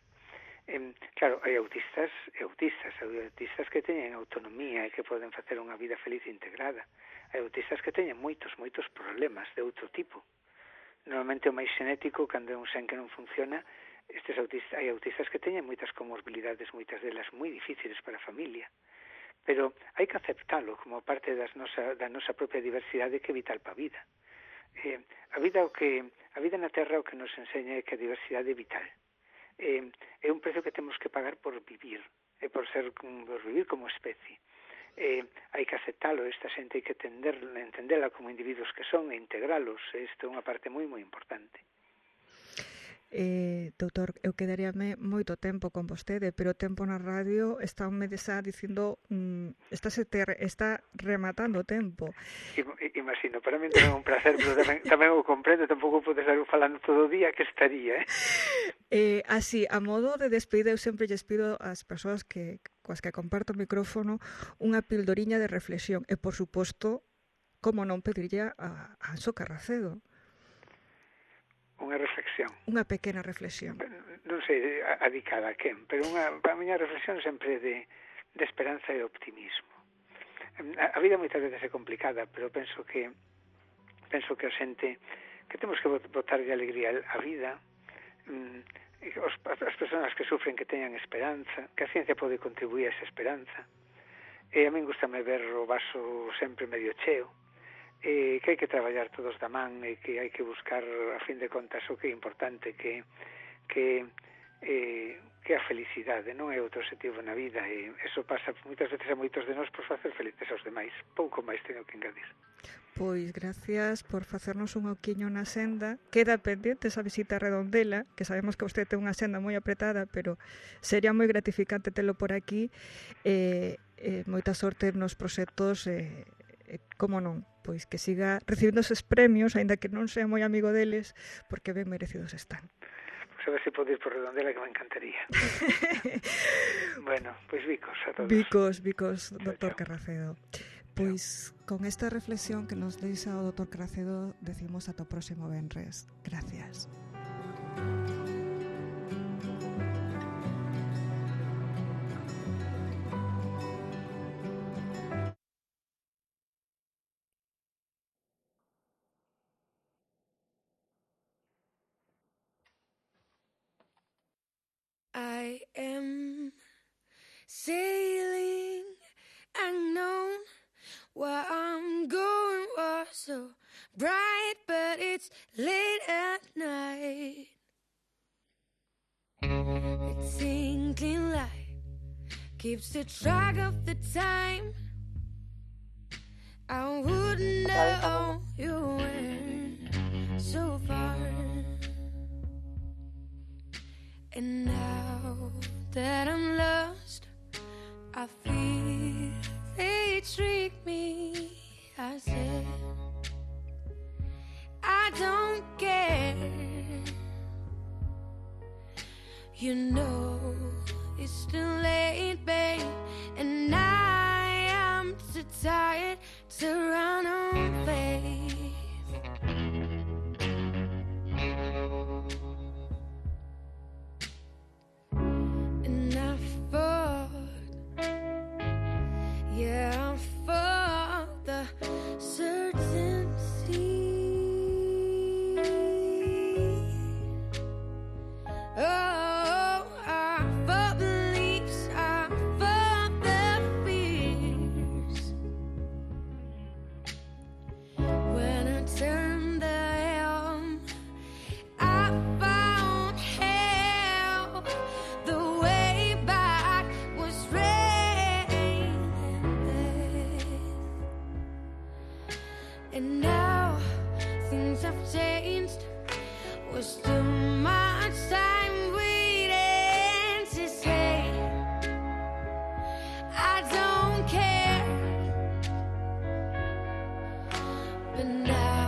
Claro, hai autistas e autistas, hai autistas que teñen autonomía e que poden facer unha vida feliz e integrada. Hai autistas que teñen moitos problemas de outro tipo. Normalmente o máis xenético, cando é un xen que non funciona, hai autistas que teñen moitas comorbilidades, moitas delas moi difíciles para a familia. Pero hai que aceptalo como parte da nosa propia diversidade, que é vital para a vida. A vida na Terra o que nos enseña é que a diversidade é vital. É un precio que temos que pagar por vivir, por vivir como especie. Hai que aceptalo, esta xente hai que entendela como individuos que son e integralos. Isto é unha parte moi moi importante. Doutor, eu quedaríame moito tempo con vostede, pero o tempo na radio está dicindo está rematando o tempo. Imagino, para mí tamén é un placer, pero tamén o comprendo, tampouco podes estar falando todo o día que estaría, Así, a modo de despedida, eu sempre lles pido ás persoas coas que comparto o micrófono unha pildoriña de reflexión, e por suposto, como non pedirlle a Anxo Carracedo. Unha reflexión. Unha pequena reflexión. Non sei adicada a quen, pero a miña reflexión sempre de esperanza e optimismo. A vida moitas veces é complicada, pero penso que a xente que temos que botarlle alegría á vida, as persoas que sufren que teñan esperanza, que a ciencia pode contribuir a esa esperanza. E a min gustame ver o vaso sempre medio cheo, que hai que traballar todos da man e que hai que buscar, a fin de contas, o que é importante, que a felicidade non é outro objetivo na vida, e eso pasa moitas veces a moitos de nós por facer felices aos demais. Pouco máis teño que engadir. Pois gracias por facernos un oquiño na senda. Queda pendente esa visita a Redondela, que sabemos que vostede ten unha senda moi apretada, pero sería moi gratificante telo por aquí. Moita sorte nos proxectos, como non, pois que siga recibindo eses premios, aínda que non sea moi amigo deles, porque ben merecidos están. Pois a ver se pode ir por Redondela, que me encantaría. Bueno, pois bicos a todos. Bicos, doutor Carracedo. Pois con esta reflexión que nos deixa o doutor Carracedo, decimos ata o próximo venres. Gracias. I am sailing unknown. Where I'm going was so bright, but it's late at night. The twinkling light keeps the track of the time. I wouldn't know you went so far. And now that I'm lost, I feel they trick me. I said I don't care. You know it's too late, babe, and I am too tired to run on faith. And I fought, yeah, I fought the certainty. Oh, I fought beliefs, I fought the fears. When I turned the helm, I found hell. The way back was rain and death. And now things have changed. Was too much time waiting to say I don't care. But now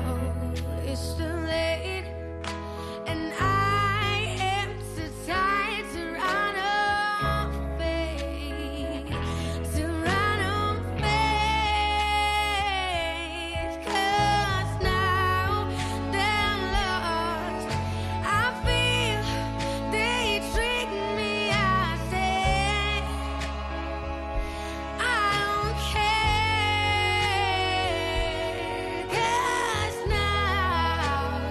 it's too late, and I am too tired to run away, to run away. 'Cause now they're lost. I feel they trick me. I say I don't care. 'Cause now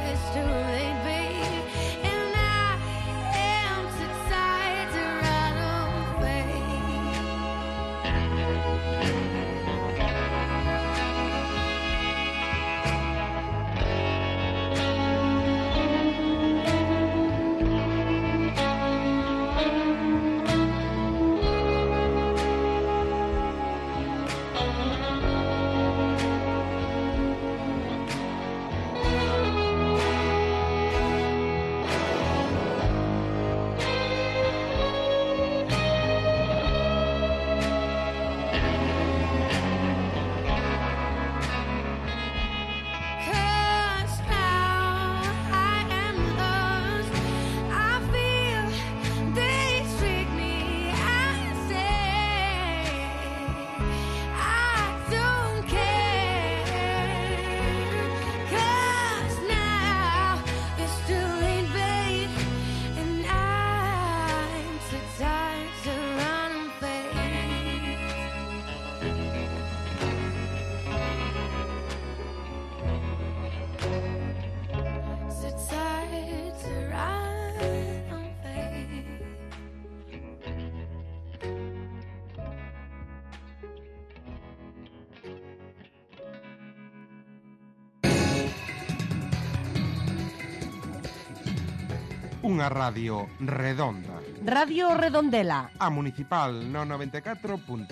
Unha radio redonda. Radio Redondela. A municipal no 94.9.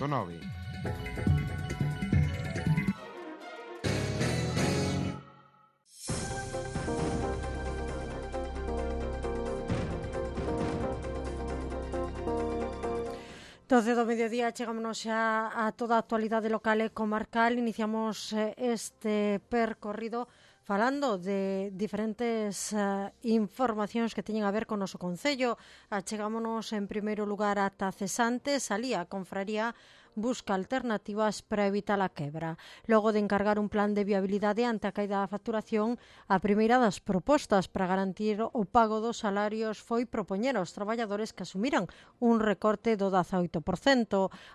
Doce do mediodía, chegámonos xa a toda a actualidade local e comarcal. Iniciamos este percorrido falando de diferentes informacións que teñen a ver con o noso concello. Chegámonos en primeiro lugar ata Cesantes, alí a confraría busca alternativas para evitar a quebra. Logo de encargar un plan de viabilidade ante a caída da facturación, a primeira das propostas para garantir o pago dos salarios foi propoñer aos traballadores que asumiran un recorte do 18%.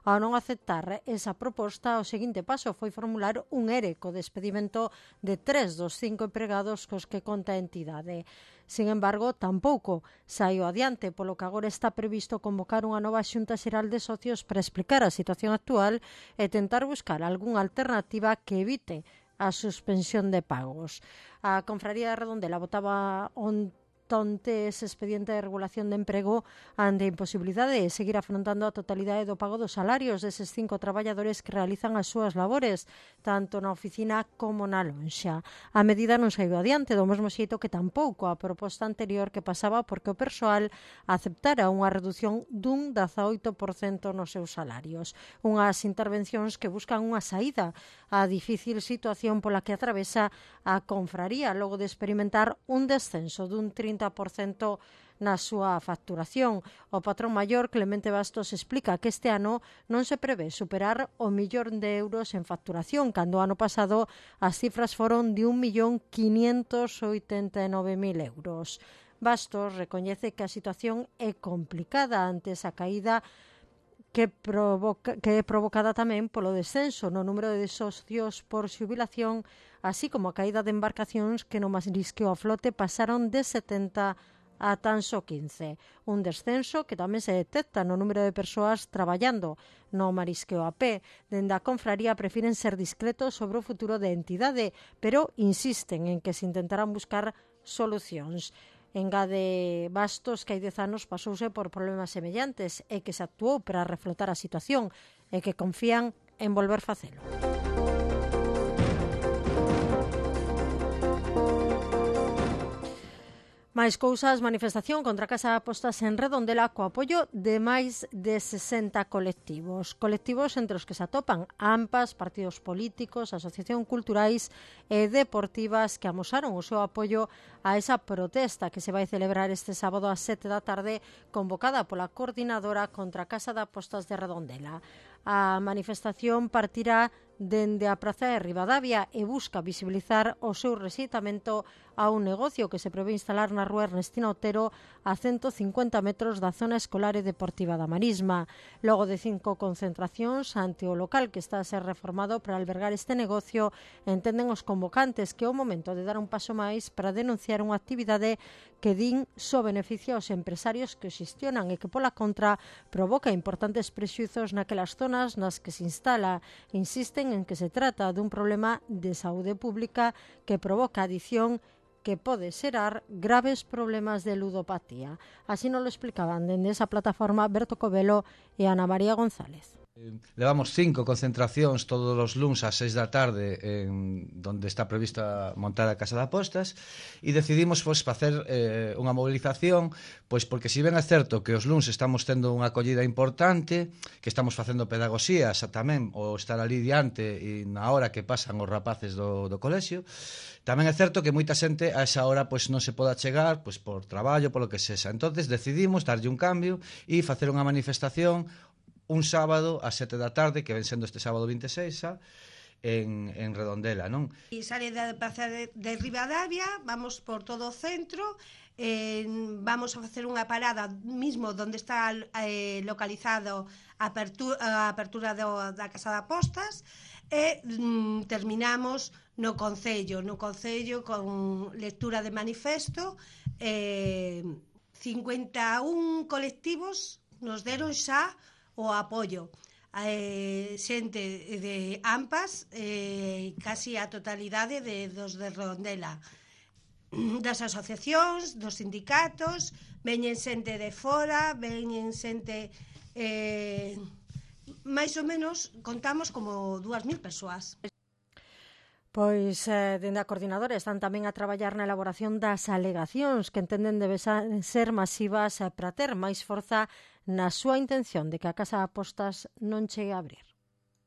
Ao non aceptar esa proposta, o seguinte paso foi formular un ERE co despedimento de 3 dos 5 empregados cos que conta a entidade. Sin embargo, tampouco saiu adiante, polo que agora está previsto convocar unha nova xunta xeral de socios para explicar a situación actual e tentar buscar algunha alternativa que evite a suspensión de pagos. A Confraría de Redondela votaba onte ese expediente de regulación de emprego ante a imposibilidade de seguir afrontando a totalidade do pago dos salarios deses 5 traballadores que realizan as súas labores, tanto na oficina como na lonxa. A medida non saiu adiante, do mesmo xeito que tampouco a proposta anterior que pasaba porque o persoal aceptara unha reducción dun 18% nos seus salarios. Unhas intervencións que buscan unha saída á difícil situación pola que atravesa a confraría logo de experimentar un descenso dun 30% na súa facturación. O patrón maior, Clemente Bastos, explica que este ano non se prevé superar o 1.000.000 de euros en facturación, cando o ano pasado as cifras foron de 1.589.000 euros. Bastos recoñece que a situación é complicada ante esa caída que é provocada tamén polo descenso no número de socios por xubilación, así como a caída de embarcacións que no marisqueo a flote pasaron de 70 a tan só 15. Un descenso que tamén se detecta no número de persoas traballando no marisqueo a pé. Dende a confraría prefiren ser discretos sobre o futuro da entidade, pero insisten en que se intentarán buscar solucións. Engade Bastos que hai 10 anos pasouse por problemas semellantes e que se actuou para reflotar a situación e que confían en volver facelo. Máis cousas, manifestación contra a Casa de Apostas en Redondela co apoio de máis de 60 colectivos. Colectivos entre os que se atopan AMPAs, partidos políticos, asociacións culturais e deportivas que amosaron o seu apoio a esa protesta que se vai celebrar este sábado ás 7 da tarde, convocada pola Coordinadora contra a Casa de Apostas de Redondela. A manifestación partirá dende a Praza de Ribadavia e busca visibilizar o seu rexeitamento a un negocio que se prevé instalar na rúa Ernestina Otero a 150 metros da zona escolar e deportiva da Marisma. Logo de 5 concentracións ante o local que está a ser reformado para albergar este negocio, entenden os convocantes que é o momento de dar un paso máis para denunciar unha actividade que din só beneficia aos empresarios que o xestionan e que pola contra provoca importantes prexuizos naquelas zonas nas que se instala. Insisten en que se trata dun problema de saúde pública que provoca adicción que pode xerar graves problemas de ludopatía. Así nos lo explicaban dende esa plataforma Berto Covelo e Ana María González. Levamos 5 concentracións todos os luns ás 6 da tarde en donde está prevista montar a Casa de Apostas e decidimos facer unha movilización porque si ben é certo que os luns estamos tendo unha acollida importante, que estamos facendo pedagogías tamén o estar ali diante e na hora que pasan os rapaces do colexio, tamén é certo que moita xente a esa hora non se poda chegar por traballo, polo que sexa. Entonces decidimos darlle un cambio e facer unha manifestación un sábado a 7 da tarde, que ven sendo este sábado 26 en Redondela, non? E sale da Praza de Ribadavia, vamos por todo o centro, vamos a facer unha parada mismo onde está localizado a apertura da Casa de Apostas e terminamos no Concello con lectura de manifesto. 51 colectivos nos deron xa o apoio, xente de AMPAs, casi a totalidade dos de Redondela. das asociacións, dos sindicatos, veñen xente de fora, veñen xente... máis ou menos contamos como 2.000 persoas. Pois, dende a coordinadora están tamén a traballar na elaboración das alegacións que entenden deben ser masivas para ter máis forza na súa intención de que a Casa de Apostas non chegue a abrir.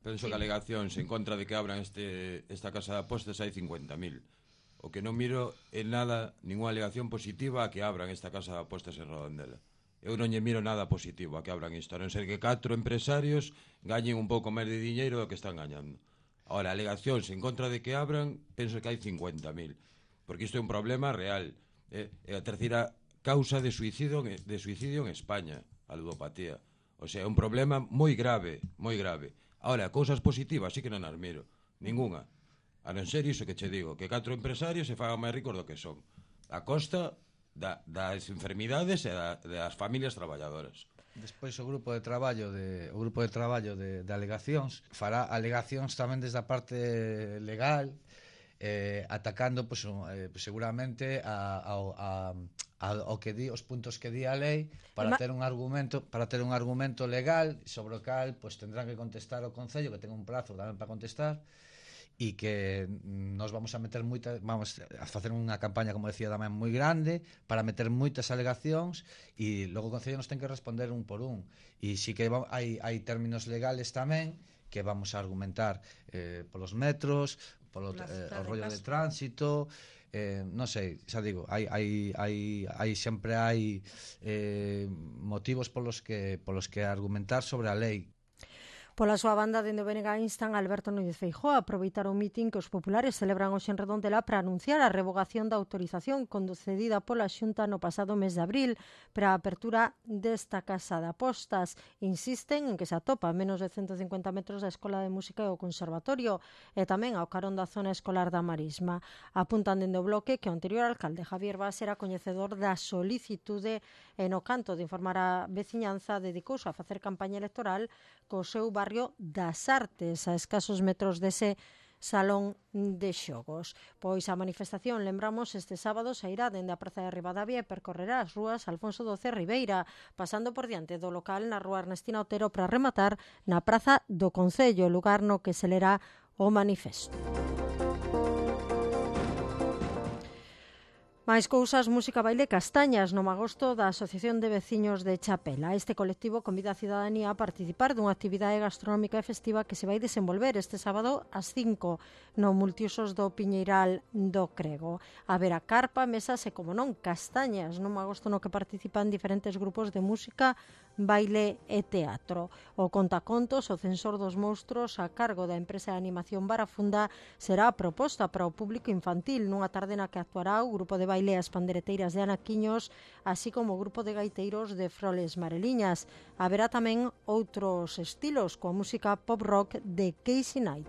Penso que alegacións en contra de que abran esta Casa de Apostas hai 50.000. O que non miro é nada, ninguna alegación positiva a que abran esta Casa de Apostas en Redondela. Eu non lle miro nada positivo a que abran isto, a non ser que 4 empresarios gañen un pouco máis de diñeiro do que están gañando. Ahora, alegacións en contra de que abran, penso que hai 50.000, porque isto é un problema real. É a terceira causa de suicidio en España, a ludopatía. O sea, é un problema moi grave, moi grave. Ahora, cousas positivas sí que non as miro, ninguna. A non ser iso que che digo, que 4 empresarios se fagan máis ricos do que son, a costa das enfermidades e das familias traballadoras. Despois o grupo de traballo de alegacións fará alegacións tamén desde a parte legal, atacando seguramente ao que di os puntos que di a lei para ter un argumento legal sobre o cal tendrán que contestar o Concello, que ten un prazo tamén para contestar, e que nos vamos a facer unha campaña, como decía tamén, moi grande para meter moitas alegacións, e logo o Concello nos ten que responder un por un, e si que hai términos legales tamén que vamos a argumentar polos metros, polo rollo de tránsito, non sei, xa digo, sempre hai motivos polos que argumentar sobre a lei. Pola súa banda, dende o BNG instan a Alberto Núñez Feijóo a aproveitar o mitin que os populares celebran hoxe en Redondela para anunciar a revogación da autorización concedida pola Xunta no pasado mes de abril para a apertura desta Casa de Apostas. Insisten en que se atopa a menos de 150 metros da Escola de Música e o Conservatorio e tamén ao carón da zona escolar da Marisma. Apuntan dende o bloque que o anterior alcalde Javier Bas era coñecedor da solicitude e no canto de informar a veciñanza dedicouse a facer campaña electoral co seu barrio das Artes, a escasos metros dese salón de xogos. Pois a manifestación, lembramos, este sábado sairá dende a Praza de Ribadavia e percorrerá as rúas Alfonso XII Ribeira, pasando por diante do local na rúa Ernestina Otero para rematar na Praza do Concello, lugar no que se lerá o manifesto. Máis cousas, música, baile, castañas no magosto da Asociación de Veciños de Chapela. Este colectivo convida a cidadanía a participar dunha actividade gastronómica e festiva que se vai desenvolver este sábado ás 5 no Multiusos do Piñeiral do Crego. Haberá carpa, mesas e, como non, castañas no magosto no que participan diferentes grupos de música, baile e teatro. O contacontos, o censor dos monstruos a cargo da empresa de animación Barafunda, será a proposta para o público infantil nunha tarde na que actuará o grupo de baile As Pandereteiras de Anaquiños, así como o grupo de gaiteiros de Froles Mareliñas. Haberá tamén outros estilos, coa música pop rock de Casey Knight.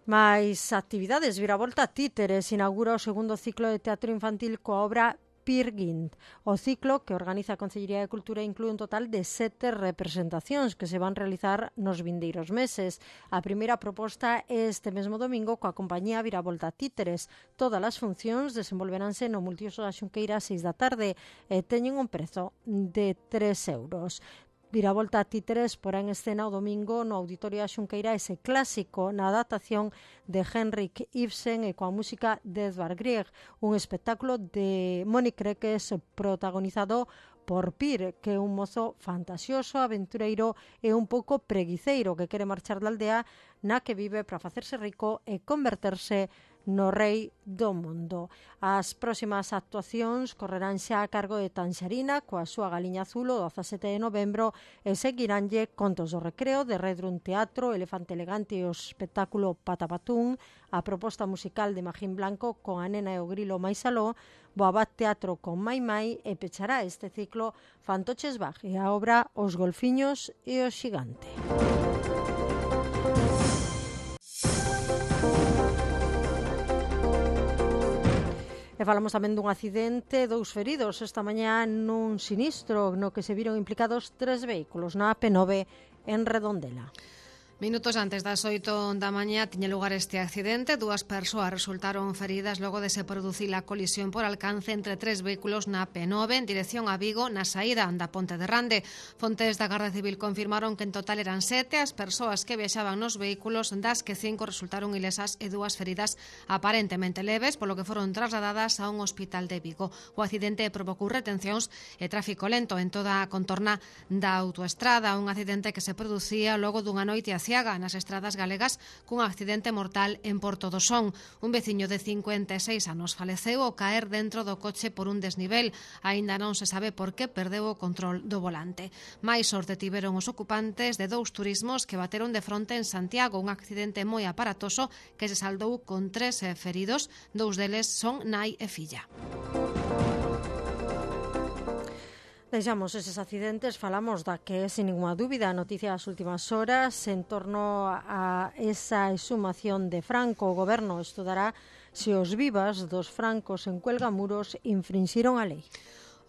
Mais actividades, Viravolta Títeres inaugura o segundo ciclo de teatro infantil coa obra Peer Gynt. O ciclo que organiza a Concellería de Cultura inclúe un total de 7 representacións que se van realizar nos vindeiros meses. A primeira proposta é este mesmo domingo coa compañía Viravolta Títeres. Todas as funcións desenvolveránse no Multiuso da Xunqueira a 6 da tarde e teñen un prezo de 3 euros. Viravolta Títeres porá en escena o domingo no Auditorio da Xunqueira ese clásico na adaptación de Henrik Ibsen e coa música de Edvard Grieg, un espectáculo de Mónica Reques protagonizado por Pir, que é un mozo fantasioso, aventureiro e un pouco preguiceiro que quere marchar da aldea na que vive para facerse rico e converterse no rei do mundo. As próximas actuacións correrán xa a cargo de Tanxarina coa súa Galiña Azul o 17 de novembro e seguiránlle Contos do Recreo de Redrun Teatro, Elefante Elegante e o espectáculo Patapatún, a proposta musical de Magín Blanco con A Nena e o Grilo máis aló, Boabat Teatro con Mai Mai e pechará este ciclo Fantoches Bag e a obra Os Golfiños e o Xigante. E falamos tamén dun accidente, 2 feridos esta mañá nun sinistro no que se viron implicados 3 vehículos na AP9 en Redondela. Minutos antes das 8 da mañá tiña lugar este accidente. 2 persoas resultaron feridas logo de se producir a colisión por alcance entre 3 vehículos na P9 en dirección a Vigo na saída da Ponte de Rande. Fontes da Garda Civil confirmaron que en total eran 7 as persoas que viaxaban nos vehículos, das que 5 resultaron ilesas e 2 feridas aparentemente leves, polo que foron trasladadas a un hospital de Vigo. O accidente provocou retencións e tráfico lento en toda a contorna da autoestrada, un accidente que se producía logo dunha noite a nas estradas galegas cun accidente mortal en Porto do Son. Un veciño de 56 anos faleceu ao caer dentro do coche por un desnivel. Aínda non se sabe por que perdeu o control do volante. Máis sorte tiveron os ocupantes de 2 turismos que bateron de fronte en Santiago, un accidente moi aparatoso que se saldou con 3 feridos, 2 deles son nai e filla. Deixamos eses accidentes, falamos da que é, sin ninguna dúbida, a noticia das últimas horas en torno a esa exhumación de Franco. O goberno estudará se os vivas dos francos en Cuelgamuros infrinxiron a lei.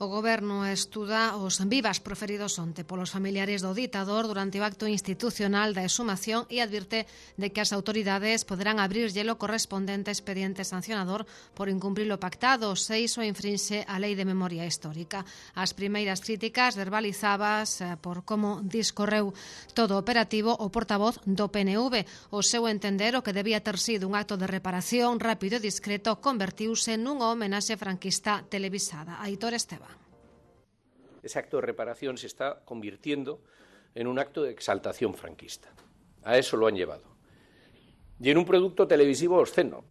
O goberno estuda os vivas proferidos onte polos familiares do ditador durante o acto institucional da exhumación e advirte de que as autoridades poderán abrirlle o correspondente expediente sancionador por incumprir o pactado se iso infrinxe a lei de memoria histórica. As primeiras críticas verbalizadas por como discorreu todo o operativo o portavoz do PNV. O seu entender, o que debía ter sido un acto de reparación rápido e discreto convertiuse nunha homenaxe franquista televisada. Aitor Esteban. Ese acto de reparación se está convirtiendo en un acto de exaltación franquista. A eso lo han llevado. Y en un producto televisivo obsceno.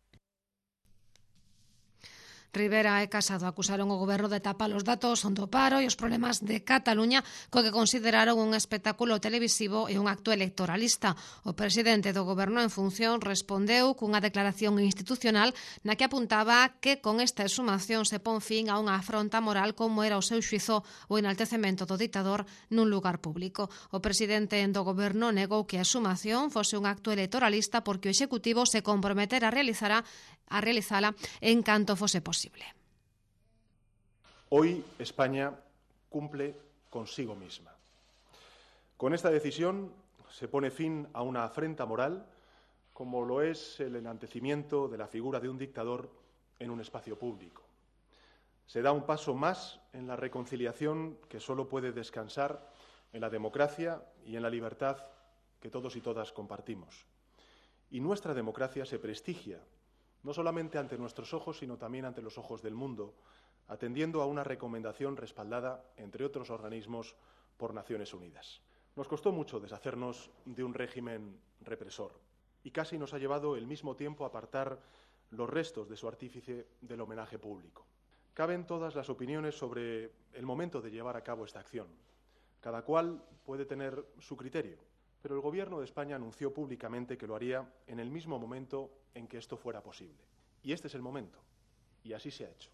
Rivera e Casado acusaron o goberno de tapar os datos do paro e os problemas de Cataluña, co que consideraron un espectáculo televisivo e un acto electoralista. O presidente do goberno en función respondeu cunha declaración institucional na que apuntaba que con esta exhumación se pon fin a unha afronta moral como era o seu xuizo o enaltecemento do ditador nun lugar público. O presidente do goberno negou que a exhumación fose un acto electoralista porque o Executivo se comprometera a realizala en canto fose posible. Hoy España cumple consigo misma. Con esta decisión se pone fin a una afrenta moral, como lo es el enaltecimiento de la figura de un dictador en un espacio público. Se da un paso más en la reconciliación que solo puede descansar en la democracia y en la libertad que todos y todas compartimos. Y nuestra democracia se prestigia no solamente ante nuestros ojos, sino también ante los ojos del mundo, atendiendo a una recomendación respaldada, entre otros organismos, por Naciones Unidas. Nos costó mucho deshacernos de un régimen represor y casi nos ha llevado el mismo tiempo apartar los restos de su artífice del homenaje público. Caben todas las opiniones sobre el momento de llevar a cabo esta acción. Cada cual puede tener su criterio, pero el Gobierno de España anunció públicamente que lo haría en el mismo momento en que esto fuera posible. Y este es el momento, y así se ha hecho.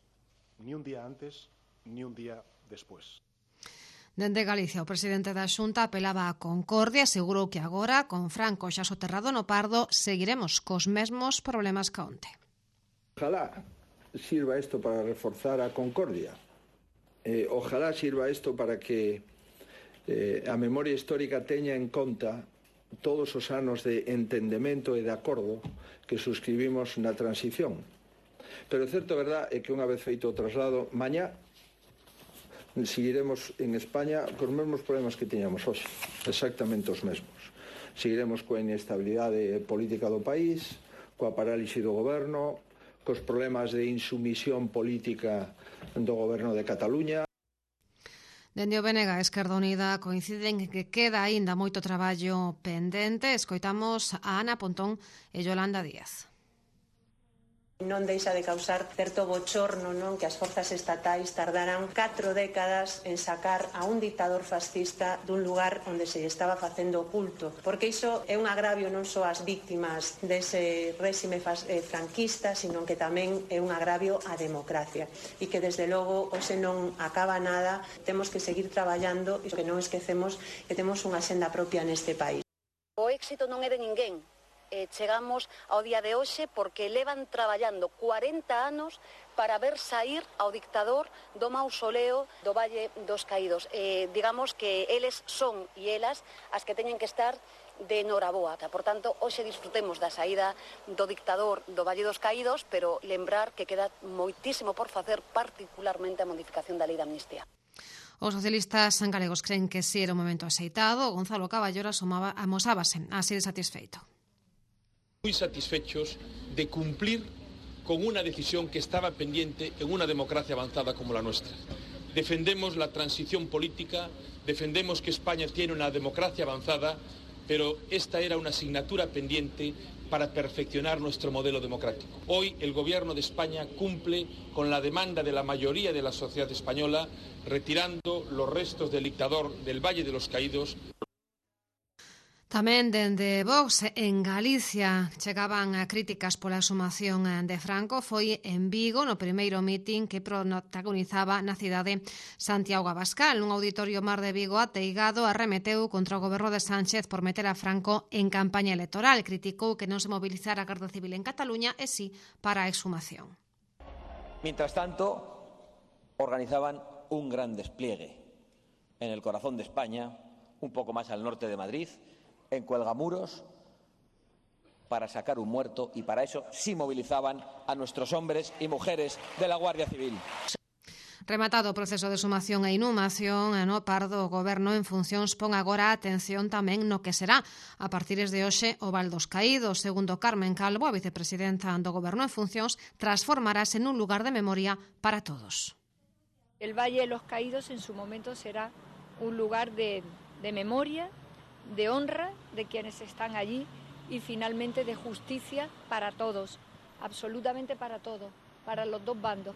Ni un día antes, ni un día después. Dende Galicia, o presidente da Xunta apelaba a concordia e asegurou que agora, con Franco xa soterrado no Pardo, seguiremos cos mesmos problemas que onte. Ojalá sirva esto para reforzar a concordia. Ojalá sirva esto para que a memoria histórica teña en conta todos os anos de entendemento e de acordo que suscribimos na transición. Pero o certo verdad é que unha vez feito o traslado, mañá seguiremos en España cos mesmos problemas que tiñamos hoxe, exactamente os mesmos. Seguiremos coa inestabilidade política do país, coa parálise do goberno, cos problemas de insumisión política do goberno de Cataluña. Dende o BNG, Esquerda Unida coinciden que queda aínda moito traballo pendente. Escoitamos a Ana Pontón e Yolanda Díaz. Non deixa de causar certo bochorno, non, que as forzas estatais tardaran 4 décadas en sacar a un dictador fascista dun lugar onde se estaba facendo culto, porque iso é un agravio non só ás víctimas dese réxime franquista, sino que tamén é un agravio á democracia, e que desde logo hoxe non acaba nada, temos que seguir traballando e que non esquecemos que temos unha senda propia neste país. O éxito non é de ninguén, chegamos ao día de hoxe porque levan traballando 40 anos para ver sair ao dictador do mausoleo do Valle dos Caídos. Digamos que eles son e elas as que teñen que estar de noraboa. Por tanto, hoxe disfrutemos da saída do dictador do Valle dos Caídos, pero lembrar que queda moitísimo por facer, particularmente a modificación da lei de amnistía. Os socialistas galegos creen que si era o momento aceitado. Gonzalo Caballero amosábase así de satisfeito. Muy satisfechos de cumplir con una decisión que estaba pendiente en una democracia avanzada como la nuestra. Defendemos la transición política, defendemos que España tiene una democracia avanzada, pero esta era una asignatura pendiente para perfeccionar nuestro modelo democrático. Hoy el Gobierno de España cumple con la demanda de la mayoría de la sociedad española, retirando los restos del dictador del Valle de los Caídos. Tamén dende Vox en Galicia chegaban críticas pola exhumación de Franco. Foi en Vigo no primeiro mitin que protagonizaba na cidade Santiago Abascal. Un auditorio Mar de Vigo ateigado arremeteu contra o goberno de Sánchez por meter a Franco en campaña electoral. Criticou que non se mobilizara a Garda Civil en Cataluña e sí para a exhumación. Mientras tanto, organizaban un gran despliegue en el corazón de España, un poco más al norte de Madrid, en Cuelgamuros, para sacar un muerto, y para eso sí movilizaban a nuestros hombres y mujeres de la Guardia Civil. Rematado o proceso de exhumación e inhumación, no Pardo, o Goberno en funcións pon agora atención tamén no que será a partir de hoxe o Val dos Caídos. Segundo Carmen Calvo, a vicepresidenta do Goberno en funcións, transformarase nun lugar de memoria para todos. El Valle de los Caídos en su momento será un lugar de memoria, de honra de quienes están allí y finalmente de justicia para todos, absolutamente para todo, para los dos bandos.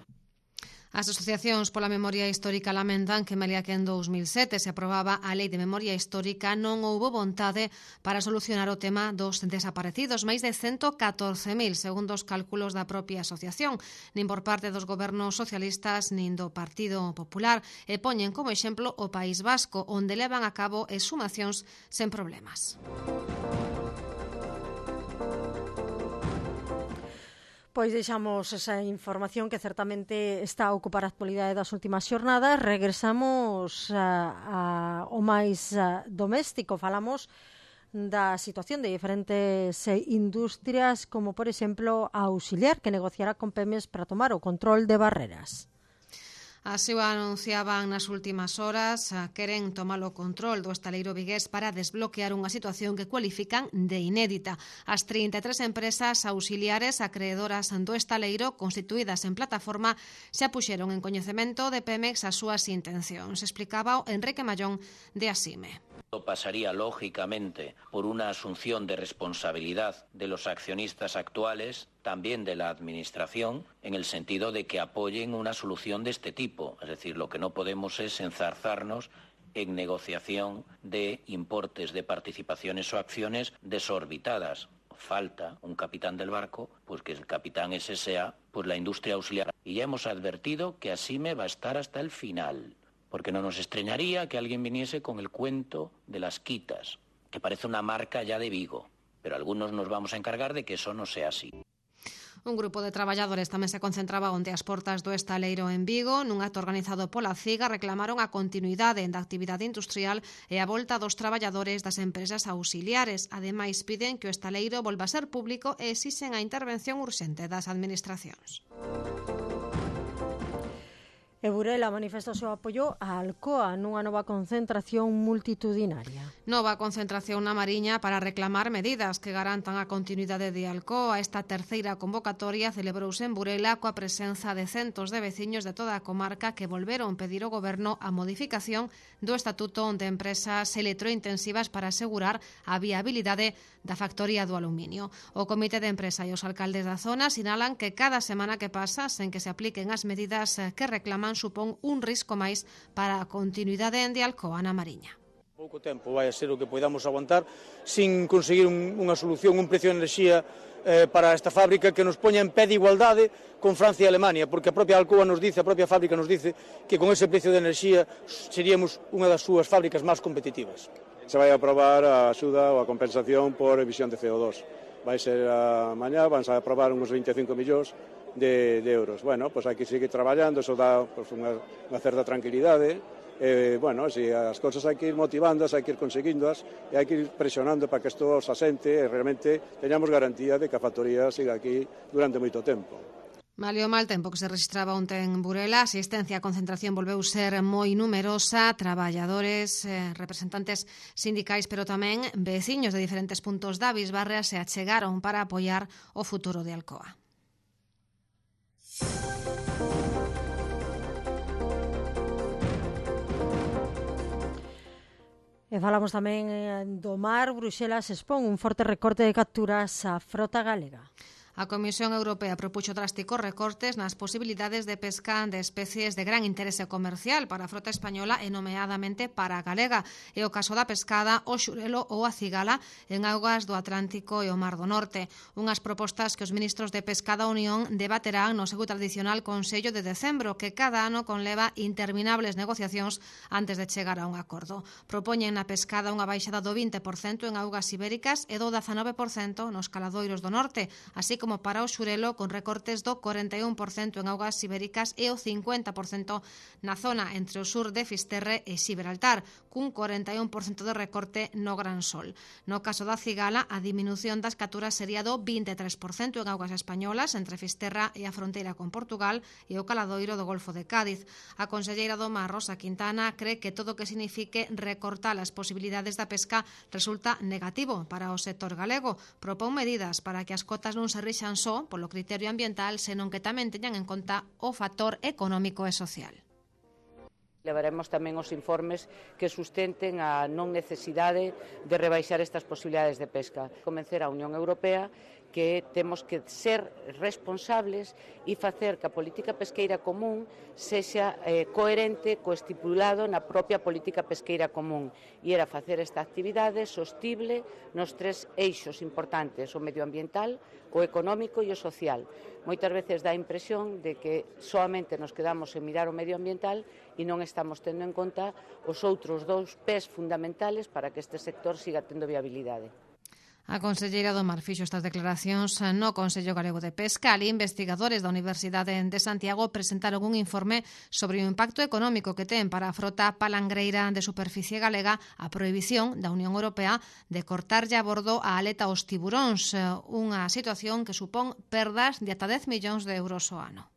As asociacións pola memoria histórica lamentan que malia que en 2007 se aprobaba a Lei de Memoria Histórica non houbo vontade para solucionar o tema dos desaparecidos, máis de 114.000 segundo os cálculos da propia asociación, nin por parte dos gobernos socialistas nin do Partido Popular, e poñen como exemplo o País Vasco, onde levan a cabo exhumacións sen problemas. Pois deixamos esa información que certamente está a ocupar a actualidade das últimas xornadas. Regresamos ao máis doméstico. Falamos da situación de diferentes industrias, como por exemplo a Auxiliar, que negociará con Pemex para tomar o control de barreras. Así o anunciaban nas últimas horas, queren tomar o control do estaleiro vigués para desbloquear unha situación que cualifican de inédita. As 33 empresas auxiliares acreedoras do estaleiro, constituídas en plataforma, se apuxeron en coñecemento de Pemex as súas intencións. Explicaba Enrique Mallón de Asime. Pasaría lógicamente por una asunción de responsabilidad de los accionistas actuales, también de la Administración, en el sentido de que apoyen una solución de este tipo. Es decir, lo que no podemos es enzarzarnos en negociación de importes de participaciones o acciones desorbitadas. Falta un capitán del barco, pues que el capitán ese sea pues la industria auxiliar. Y ya hemos advertido que Asime va a estar hasta el final, porque no nos extrañaría que alguien viniese con el cuento de las quitas, que parece una marca ya de Vigo, pero algunos nos vamos a encargar de que eso no sea así. Un grupo de traballadores tamén se concentraba onde as portas do estaleiro en Vigo. Nun acto organizado pola CIGA reclamaron a continuidade da actividade industrial e a volta dos traballadores das empresas auxiliares. Ademais, piden que o estaleiro volva a ser público e exixen a intervención urxente das administracións. E Burela manifesta o seu apoio a Alcoa nunha nova concentración multitudinaria. Nova concentración na Mariña para reclamar medidas que garantan a continuidade de Alcoa. Esta terceira convocatoria celebrouse en Burela coa presenza de centos de veciños de toda a comarca que volveron pedir ao Goberno a modificación do Estatuto de Empresas Electrointensivas para asegurar a viabilidade da factoría do aluminio. O Comité de Empresa e os alcaldes da zona sinalan que cada semana que pasa sen que se apliquen as medidas que reclaman supón un risco máis para a continuidade de Alcoa na Mariña. Pouco tempo vai a ser o que podamos aguantar sin conseguir unha solución, un precio de enerxía para esta fábrica que nos poña en pé de igualdade con Francia e Alemania, porque a propia Alcoa nos dice, a propia fábrica nos dice que con ese precio de enerxía seríamos unha das súas fábricas máis competitivas. Se vai a aprobar a axuda ou a compensación por emisión de CO2. vai ser a mañá, van a aprobar uns 25 millóns de euros. Bueno, pois hai que seguir traballando, eso dá pois, unha certa tranquilidade. Bueno, si as cousas hai que ir motivándoas, hai que ir conseguíndoas e hai que ir presionando para que isto se asente e realmente teñamos garantía de que a factoría siga aquí durante moito tempo. Malio mal tempo que se registraba onte en Burela, a asistencia a concentración volveu ser moi numerosa, traballadores, representantes sindicais, pero tamén veciños de diferentes puntos da Bisbarra se achegaron para apoiar o futuro de Alcoa. E falamos tamén do mar. Bruxelas expón un forte recorte de capturas á frota galega. A Comisión Europea propuxo drásticos recortes nas posibilidades de pesca de especies de gran interese comercial para a frota española e nomeadamente para a galega. É o caso da pescada, o xurelo ou a cigala en augas do Atlántico e o Mar do Norte. Unhas propostas que os ministros de Pesca da Unión debaterán no seu tradicional Consello de Decembro, que cada ano conleva interminables negociacións antes de chegar a un acordo. Propoñen na pescada unha baixada do 20% en augas ibéricas e do 19% nos caladoiros do norte, así como para o xurelo con recortes do 41% en augas ibéricas e o 50% na zona entre o sur de Fisterre e Xibraltar, cun 41% de recorte no Gran Sol. No caso da cigala, a diminución das capturas sería do 23% en augas españolas entre Fisterra e a fronteira con Portugal e o caladoiro do Golfo de Cádiz. A conselleira do Mar, Rosa Quintana, cree que todo o que signifique recortar as posibilidades da pesca resulta negativo para o sector galego. Propón medidas para que as cotas non se rixan só polo criterio ambiental, senón que tamén teñan en conta o factor económico e social. Levaremos tamén os informes que sustenten a non necesidade de rebaixar estas posibilidades de pesca. Convencer a Unión Europea que temos que ser responsables e facer que a política pesqueira común sexa coherente co estipulado na propia política pesqueira común, e era facer esta actividade sostible nos tres eixos importantes: o medioambiental, o económico e o social. Moitas veces dá a impresión de que soamente nos quedamos en mirar o medioambiental e non estamos tendo en conta os outros dous pés fundamentales para que este sector siga tendo viabilidade. A conselleira do Mar fixo estas declaracións no Consello Galego de Pesca. Ali, investigadores da Universidade de Santiago presentaron un informe sobre o impacto económico que ten para a frota palangreira de superficie galega a prohibición da Unión Europea de cortarlle a bordo a aleta aos tiburóns, unha situación que supón perdas de ata 10 millóns de euros ao ano.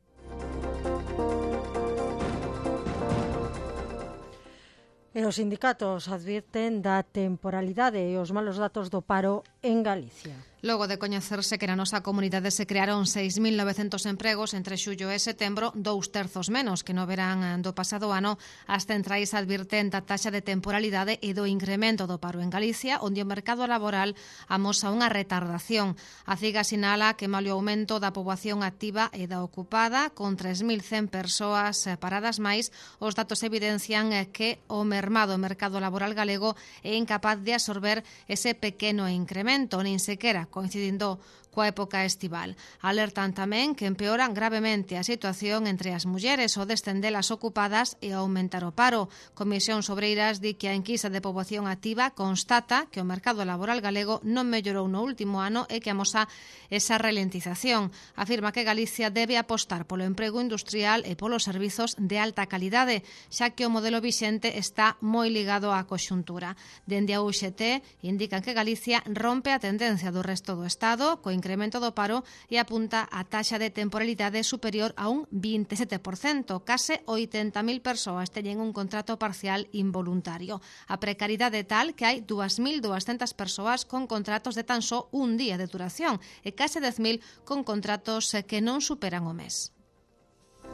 E os sindicatos advirten da temporalidade e os malos datos do paro en Galicia. Logo de coñecerse que na nosa comunidade se crearon 6.900 empregos entre xullo e setembro, 2/3 menos que no verán do pasado ano, as centrais advirten da taxa de temporalidade e do incremento do paro en Galicia, onde o mercado laboral amosa unha retardación. A CIGA sinala que malia o aumento da poboación activa e da ocupada, con 3.100 persoas paradas máis, os datos evidencian que o mermado mercado laboral galego é incapaz de absorber ese pequeno incremento, nin sequera coincidindo coa época estival. Alertan tamén que empeoran gravemente a situación entre as mulleres ao descender as ocupadas e aumentar o paro. Comisión Obreiras di que a enquisa de poboación activa constata que o mercado laboral galego non mellorou no último ano e que amosa esa ralentización. Afirma que Galicia debe apostar polo emprego industrial e polos servizos de alta calidade, xa que o modelo vixente está moi ligado á conxuntura. Dende a UGT indican que Galicia rompe a tendencia do resto do Estado, co incremento do paro, e apunta a taxa de temporalidade superior a un 27%. Case 80.000 persoas teñen un contrato parcial involuntario. A precariedade é tal que hai 2.200 persoas con contratos de tan só un día de duración e case 10.000 con contratos que non superan o mes.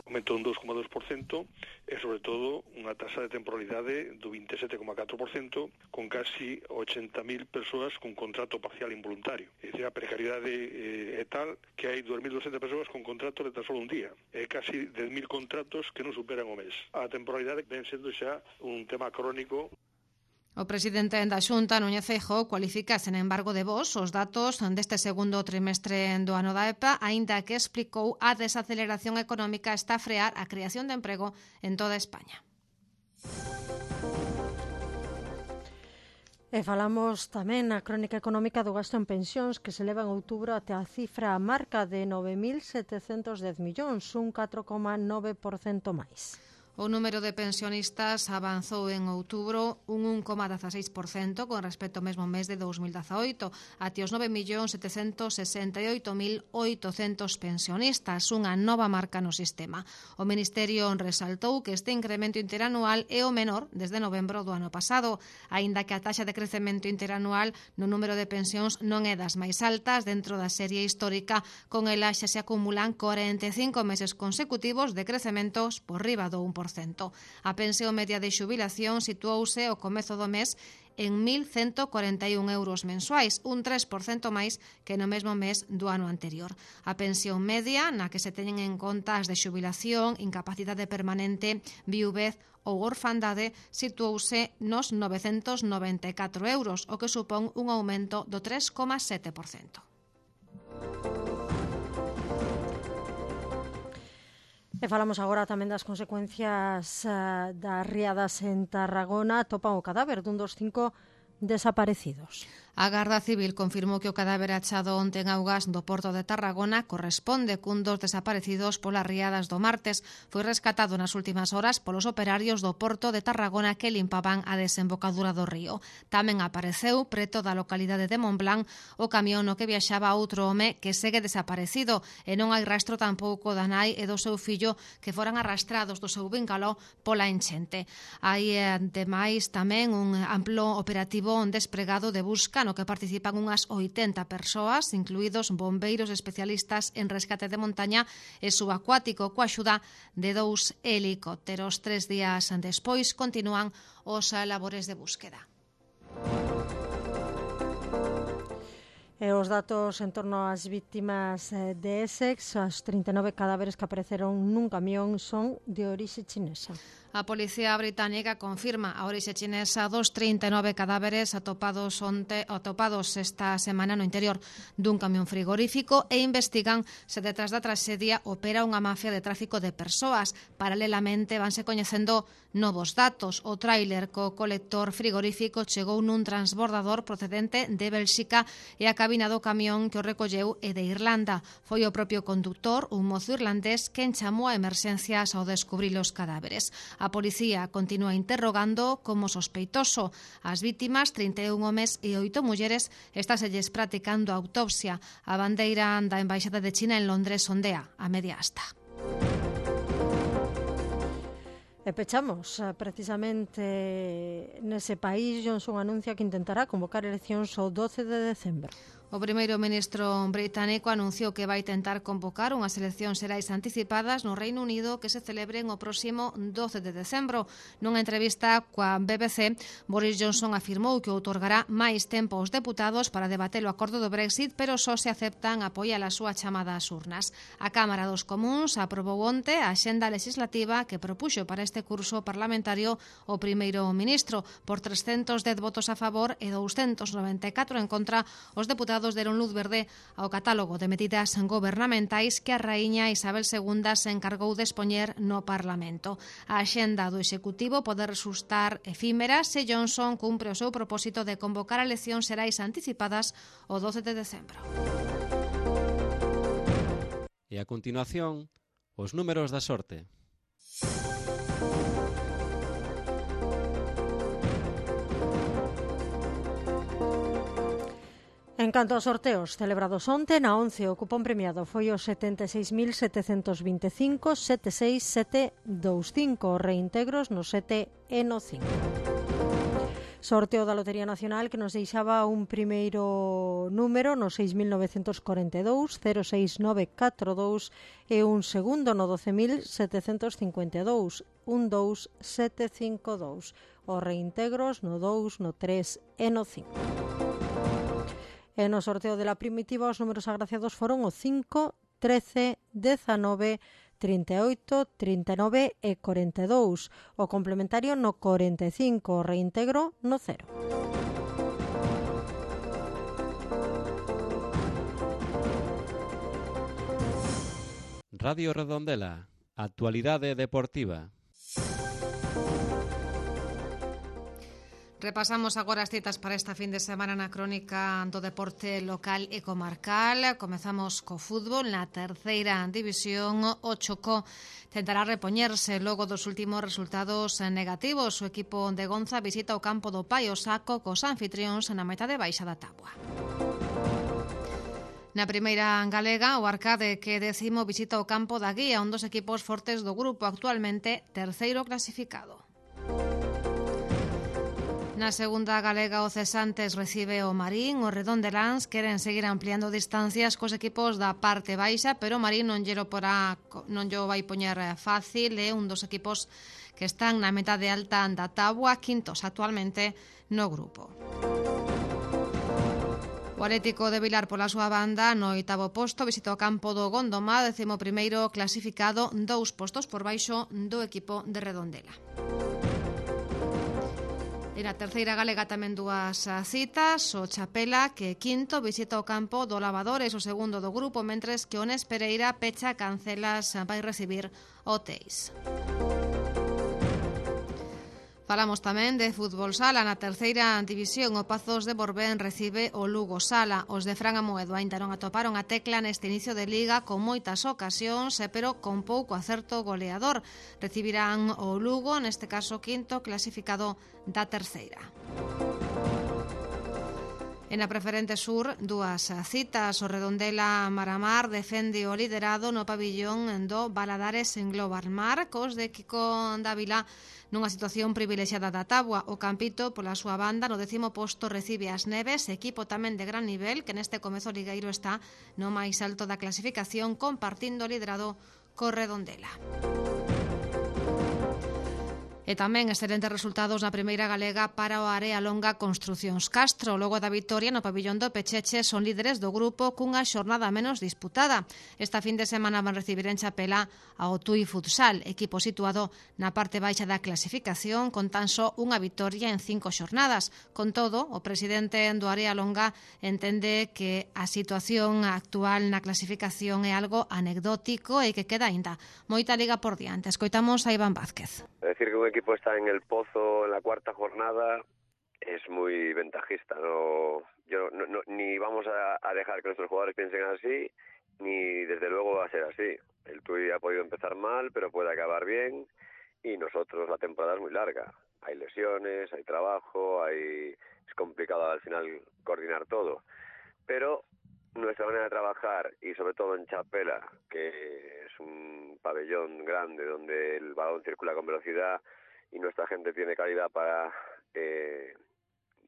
Aumentou un 2,2% e, sobre todo, unha taxa de temporalidade do 27,4%, con casi 80.000 persoas con contrato parcial involuntario. É dicir, a precariedade é tal que hai 2.200 persoas con contrato de tan só un día. É casi 10.000 contratos que non superan o mes. A temporalidade ven sendo xa un tema crónico. O presidente da Xunta, Núñez Feijóo, cualifica sen embargo de vos os datos deste segundo trimestre do ano da EPA, aínda que explicou a desaceleración económica está a frear a creación de emprego en toda España. E falamos tamén na crónica económica do gasto en pensións que se leva en outubro até a cifra marca de 9.710 millóns, un 4,9% máis. O número de pensionistas avanzou en outubro un 1,16% con respecto ao mesmo mes de 2018, até os 9.768.800 pensionistas, unha nova marca no sistema. O Ministerio resaltou que este incremento interanual é o menor desde novembro do ano pasado, aínda que a taxa de crecemento interanual no número de pensións non é das máis altas dentro da serie histórica, con ela xa se acumulan 45 meses consecutivos de crecementos por riba do 1%. A pensión media de xubilación situouse ao comezo do mes en 1.141 euros mensuais, un 3% máis que no mesmo mes do ano anterior. A pensión media, na que se teñen en conta as de xubilación, incapacidade permanente, viuvez ou orfandade, situouse nos 994 euros, o que supón un aumento do 3,7%. E falamos agora tamén das consecuencias das riadas en Tarragona. Topan o cadáver dun dos 5 desaparecidos. A Garda Civil confirmou que o cadáver achado onte en augas do Porto de Tarragona corresponde cun dos desaparecidos polas riadas do martes. Foi rescatado nas últimas horas polos operarios do Porto de Tarragona que limpaban a desembocadura do río. Tamén apareceu preto da localidade de Montblanc o camión no que viaxaba outro home que segue desaparecido e non hai rastro tampouco da nai e do seu fillo que foran arrastrados do seu vínculo pola enchente. Hai ademais tamén un amplo operativo despregado de busca no que participan unhas 80 persoas, incluídos bombeiros especialistas en rescate de montaña e subacuático, coa axuda de 2 helicópteros. 3 días despois continúan os labores de búsqueda. E os datos en torno ás vítimas de Essex, as 39 cadáveres que apareceron nun camión son de orixe chinesa. A Policía Británica confirma a orixe chinesa dos 39 cadáveres atopados esta semana no interior dun camión frigorífico e investigan se detrás da traxedia opera unha mafia de tráfico de persoas. Paralelamente vanse coñecendo novos datos. O tráiler co colector frigorífico chegou nun transbordador procedente de Bélxica e a cabina do camión que o recolleu é de Irlanda. Foi o propio conductor, un mozo irlandés, quen chamou a emerxencias ao descubrir os cadáveres. A policía continúa interrogando como sospeitoso. As vítimas, 31 homes e 8 mulleres, estáselles practicando a autopsia. A bandeira da Embaixada de China en Londres ondea a media asta. E pechamos precisamente nese país. Johnson anuncia que intentará convocar eleccións o 12 de decembro. O primeiro ministro británico anunciou que vai tentar convocar unhas eleccións xerais anticipadas no Reino Unido que se celebren o próximo 12 de decembro. Nunha entrevista coa BBC, Boris Johnson afirmou que outorgará máis tempo aos deputados para debater o acordo do Brexit, pero só se aceptan apoiar a súa chamada ás urnas. A Cámara dos Comuns aprobou onte a axenda legislativa que propuxo para este curso parlamentario o primeiro ministro. Por 310 votos a favor e 294 en contra, os deputados deron luz verde ao catálogo de medidas gobernamentais que a raíña Isabel II se encargou de expoñer no Parlamento. A axenda do Executivo pode resultar efímera se Johnson cumpre o seu propósito de convocar eleccións xerais anticipadas o 12 de decembro. E a continuación, os números da sorte. En canto aos sorteos celebrados onte, na 11 o cupón premiado foi o 76.725 76725, reintegros no 7 e no 5. Sorteo da Lotería Nacional que nos deixaba un primeiro número no 6.942, 06942 e un segundo no 12.752, 12752. Os reintegros no 2, no 3 e no 5. E no sorteo de la primitiva os números agraciados foron o 5, 13, 19, 38, 39 e 42. O complementario no 45, o reintegro no 0. Radio Redondela, actualidade deportiva. Repasamos agora as citas para esta fin de semana na crónica do deporte local e comarcal. Comezamos co fútbol na terceira división. O Chocó tentará repoñerse logo dos últimos resultados negativos. O equipo de Gonza visita o campo do Paio Saco cos anfitrións na metade baixa da táboa. Na primeira galega, o Arcade, que é 10º, visita o campo da Guía, un dos equipos fortes do grupo, actualmente terceiro clasificado. Na segunda galega, o Cesantes recibe o Marín. Os redondeláns queren seguir ampliando distancias cos equipos da parte baixa, pero o Marín non llo vai poñer fácil. É un dos equipos que están na metade alta da táboa, quintos actualmente no grupo. O Atlético de Vilar, pola súa banda, no 8º posto, visita o campo do Gondomar, 11º clasificado, 2 postos por baixo do equipo de Redondela. E na terceira galega tamén dúas citas. O Chapela, que quinto, visita o campo do Lavadores, o segundo do grupo, mentres que o Nes Pereira pecha Cancelas vai recibir o Teis. Falamos tamén de fútbol sala. Na terceira división, o Pazos de Borbén recibe o Lugo Sala. Os de Fran Amoedo ainda non atoparon a tecla neste inicio de liga con moitas ocasións, pero con pouco acerto goleador. Recibirán o Lugo, neste caso quinto clasificado da terceira. E na preferente sur, dúas citas. O Redondela Maramar defende o liderado no pabillón do Baladares en Global Mar, cos de Kiko Dávila nunha situación privilexiada da táboa. O Campito, pola súa banda, no 10º posto recibe as Neves, equipo tamén de gran nivel, que neste comezo ligueiro está no máis alto da clasificación, compartindo o liderado co Redondela. E tamén excelentes resultados na primeira galega para o Area Longa Construcións Castro. Logo da vitoria no pabillón do Pecheche, son líderes do grupo cunha xornada menos disputada. Esta fin de semana van recibir en Chapela ao Tui Futsal, equipo situado na parte baixa da clasificación con tan só unha vitoria en 5 xornadas. Con todo, o presidente do Area Longa entende que a situación actual na clasificación é algo anecdótico e que queda aínda moita liga por diante. Escoitamos a Iván Vázquez. Es decir, que un equipo está en el pozo en la cuarta jornada es muy ventajista. Ni vamos a dejar que nuestros jugadores piensen así, ni desde luego va a ser así. El Tui ha podido empezar mal, pero puede acabar bien, y nosotros la temporada es muy larga. Hay lesiones, hay trabajo, es complicado al final coordinar todo. Pero nuestra manera de trabajar, y sobre todo en Chapela, que es un pabellón grande donde el balón circula con velocidad y nuestra gente tiene calidad para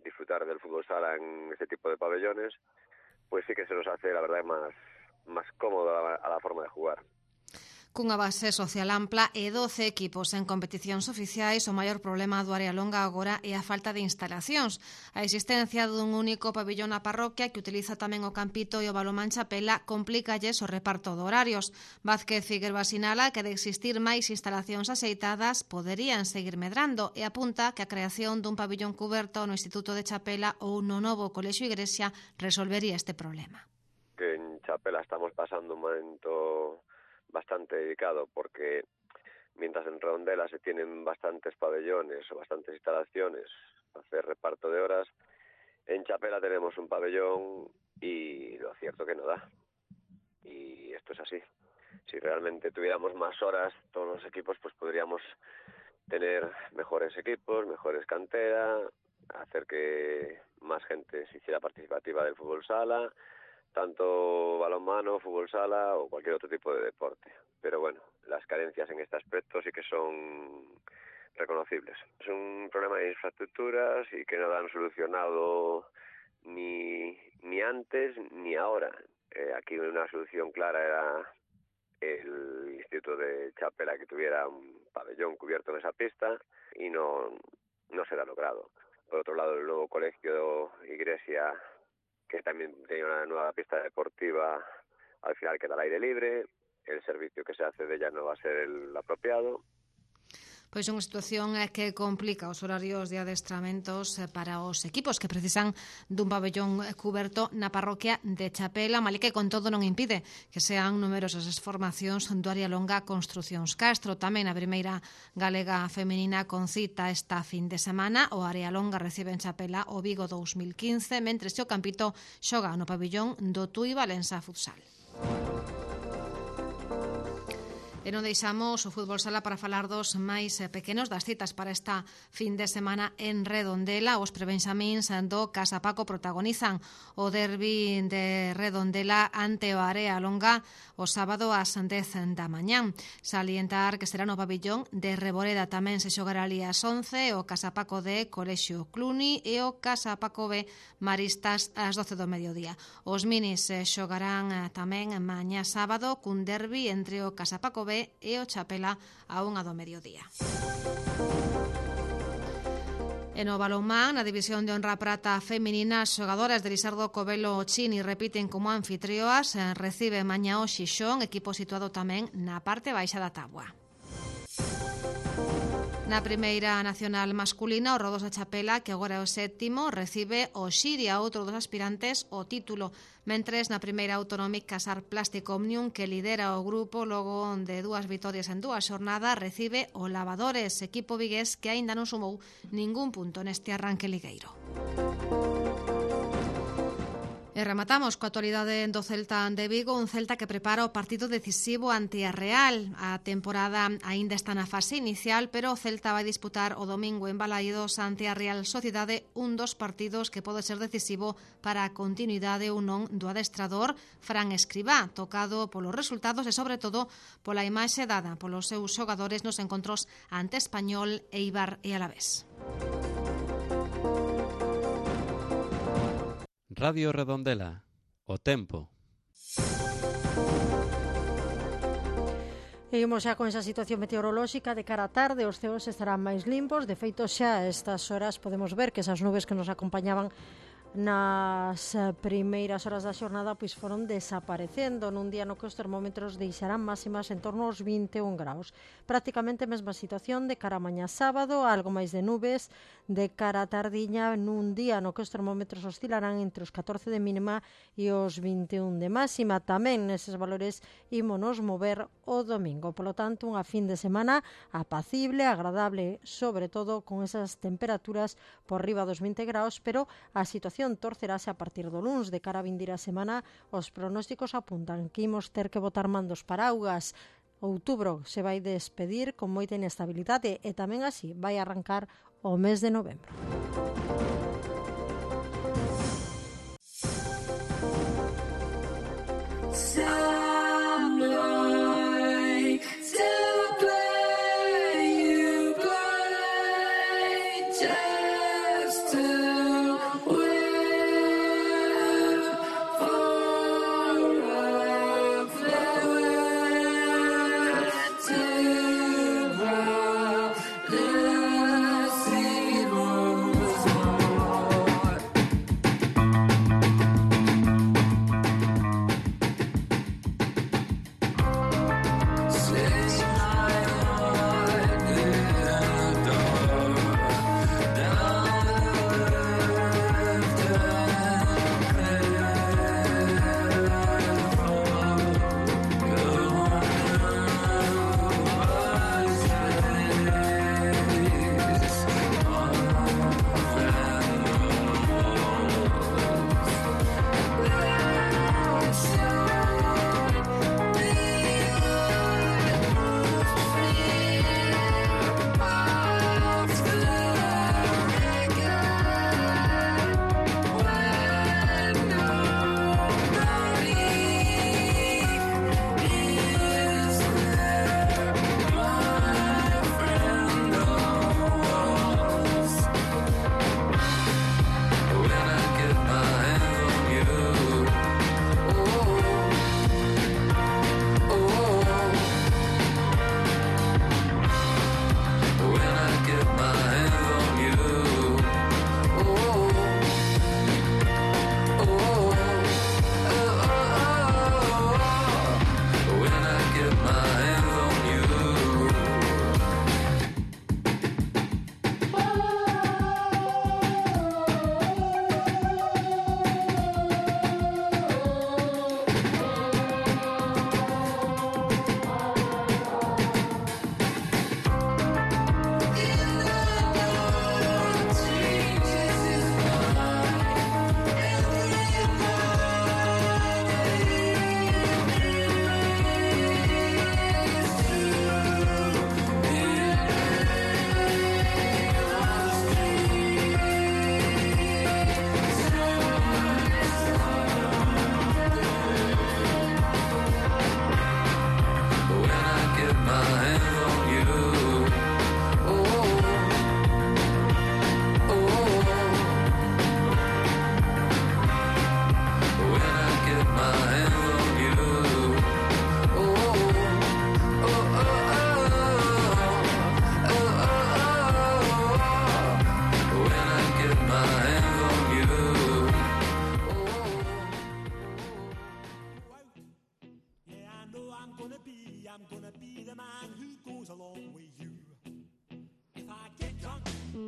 disfrutar del fútbol sala en este tipo de pabellones, pues sí que se nos hace, la verdad, más cómodo a la forma de jugar. Cunha base social ampla e 12 equipos en competicións oficiais, o maior problema do Area Longa agora é a falta de instalacións. A existencia dun único pabillón na parroquia que utiliza tamén o Campito e o Balomán Chapela complícalles o reparto de horarios. Vázquez Figueroa sinala que de existir máis instalacións axeitadas poderían seguir medrando e apunta que a creación dun pabillón cuberto no Instituto de Chapela ou no novo Colexio Igrexa resolvería este problema. Que en Chapela estamos pasando un momento bastante delicado, porque mientras en Redondela se tienen bastantes pabellones o bastantes instalaciones para hacer reparto de horas, en Chapela tenemos un pabellón y lo cierto que no da. Y esto es así. Si realmente tuviéramos más horas todos los equipos, pues podríamos tener mejores equipos, mejores canteras, hacer que más gente se hiciera participativa del fútbol sala, tanto balonmano, fútbol sala o cualquier otro tipo de deporte. Pero bueno, las carencias en este aspecto sí que son reconocibles. Es un problema de infraestructuras y que no lo han solucionado ni antes ni ahora. Aquí una solución clara era el Instituto de Chapela, que tuviera un pabellón cubierto en esa pista, y no se ha logrado. Por otro lado, el nuevo Colegio Iglesia, que también tenía una nueva pista deportiva, al final queda al aire libre, el servicio que se hace de ella no va a ser el apropiado. Pois unha situación que complica os horarios de adestramentos para os equipos que precisan dun pabellón cuberto na parroquia de Chapela, mal que con todo non impide que sean numerosas as formacións do Área Longa Construcións Castro. Tamén a primeira galega femenina con cita esta fin de semana. O Área Longa recibe en Chapela o Vigo 2015, mentres que o Campito xoga no pabellón do Tui Valença Futsal. E non deixamos o fútbol sala para falar dos máis pequenos das citas para esta fin de semana en Redondela. Os prebenxamíns do Casa Paco protagonizan o derbi de Redondela ante o Área Longa o sábado ás 10 da mañán. Salientar que será no pabellón de Reboreda, tamén se xogará ali ás 11 o Casa Paco de Colexio Cluny e o Casa Paco B Maristas ás 12 do mediodía. Os minis xogarán tamén mañá sábado cun derbi entre o Casa Paco B e o Chapela a 1 do mediodía. E no balonmán, na división de honra prata feminina, as xogadoras de Lisardo Covelo Chini repiten como anfitrioas, recibe mañá o Xixón, equipo situado tamén na parte baixa da táboa. Na primeira nacional masculina, o Rodosa Chapela, que agora é o 7º, recibe o Xiria, outro dos aspirantes ao título, mentres na primeira autonómica Casar Plástico Omnium, que lidera o grupo logo de 2 vitorias en 2 xornadas, recibe o Lavadores, equipo vigués que aínda non sumou ningún punto neste arranque ligueiro. E rematamos coa actualidade do Celta de Vigo, un Celta que prepara o partido decisivo ante a Real. A temporada aínda está na fase inicial, pero o Celta vai disputar o domingo en Balaídos ante a Real Sociedade, un dos partidos que pode ser decisivo para a continuidade ou non do adestrador Fran Escribá, tocado polos resultados e sobre todo pola imaxe dada polos seus xogadores nos encontros ante Español, Eibar e Alavés. Radio Redondela, o tempo. E imos xa con esa situación meteorolóxica de cara á tarde, os ceos estarán máis limpos, de feito xa a estas horas podemos ver que esas nubes que nos acompañaban nas primeiras horas da xornada pois foron desaparecendo nun día no que os termómetros deixarán máximas en torno aos 21 graus. Prácticamente a mesma situación de cara a mañá sábado, algo máis de nubes de cara a tardiña nun día no que os termómetros oscilarán entre os 14 de mínima e os 21 de máxima. Tamén neses valores ímonos mover o domingo. Polo tanto, unha fin de semana apacible, agradable, sobre todo con esas temperaturas por riba dos 20 graus, pero a situación torcerase a partir do luns. De cara a vindeira semana, os pronósticos apuntan que imos ter que botar mandos paraugas. Outubro se vai despedir con moita inestabilidade e tamén así vai arrancar o mes de novembro.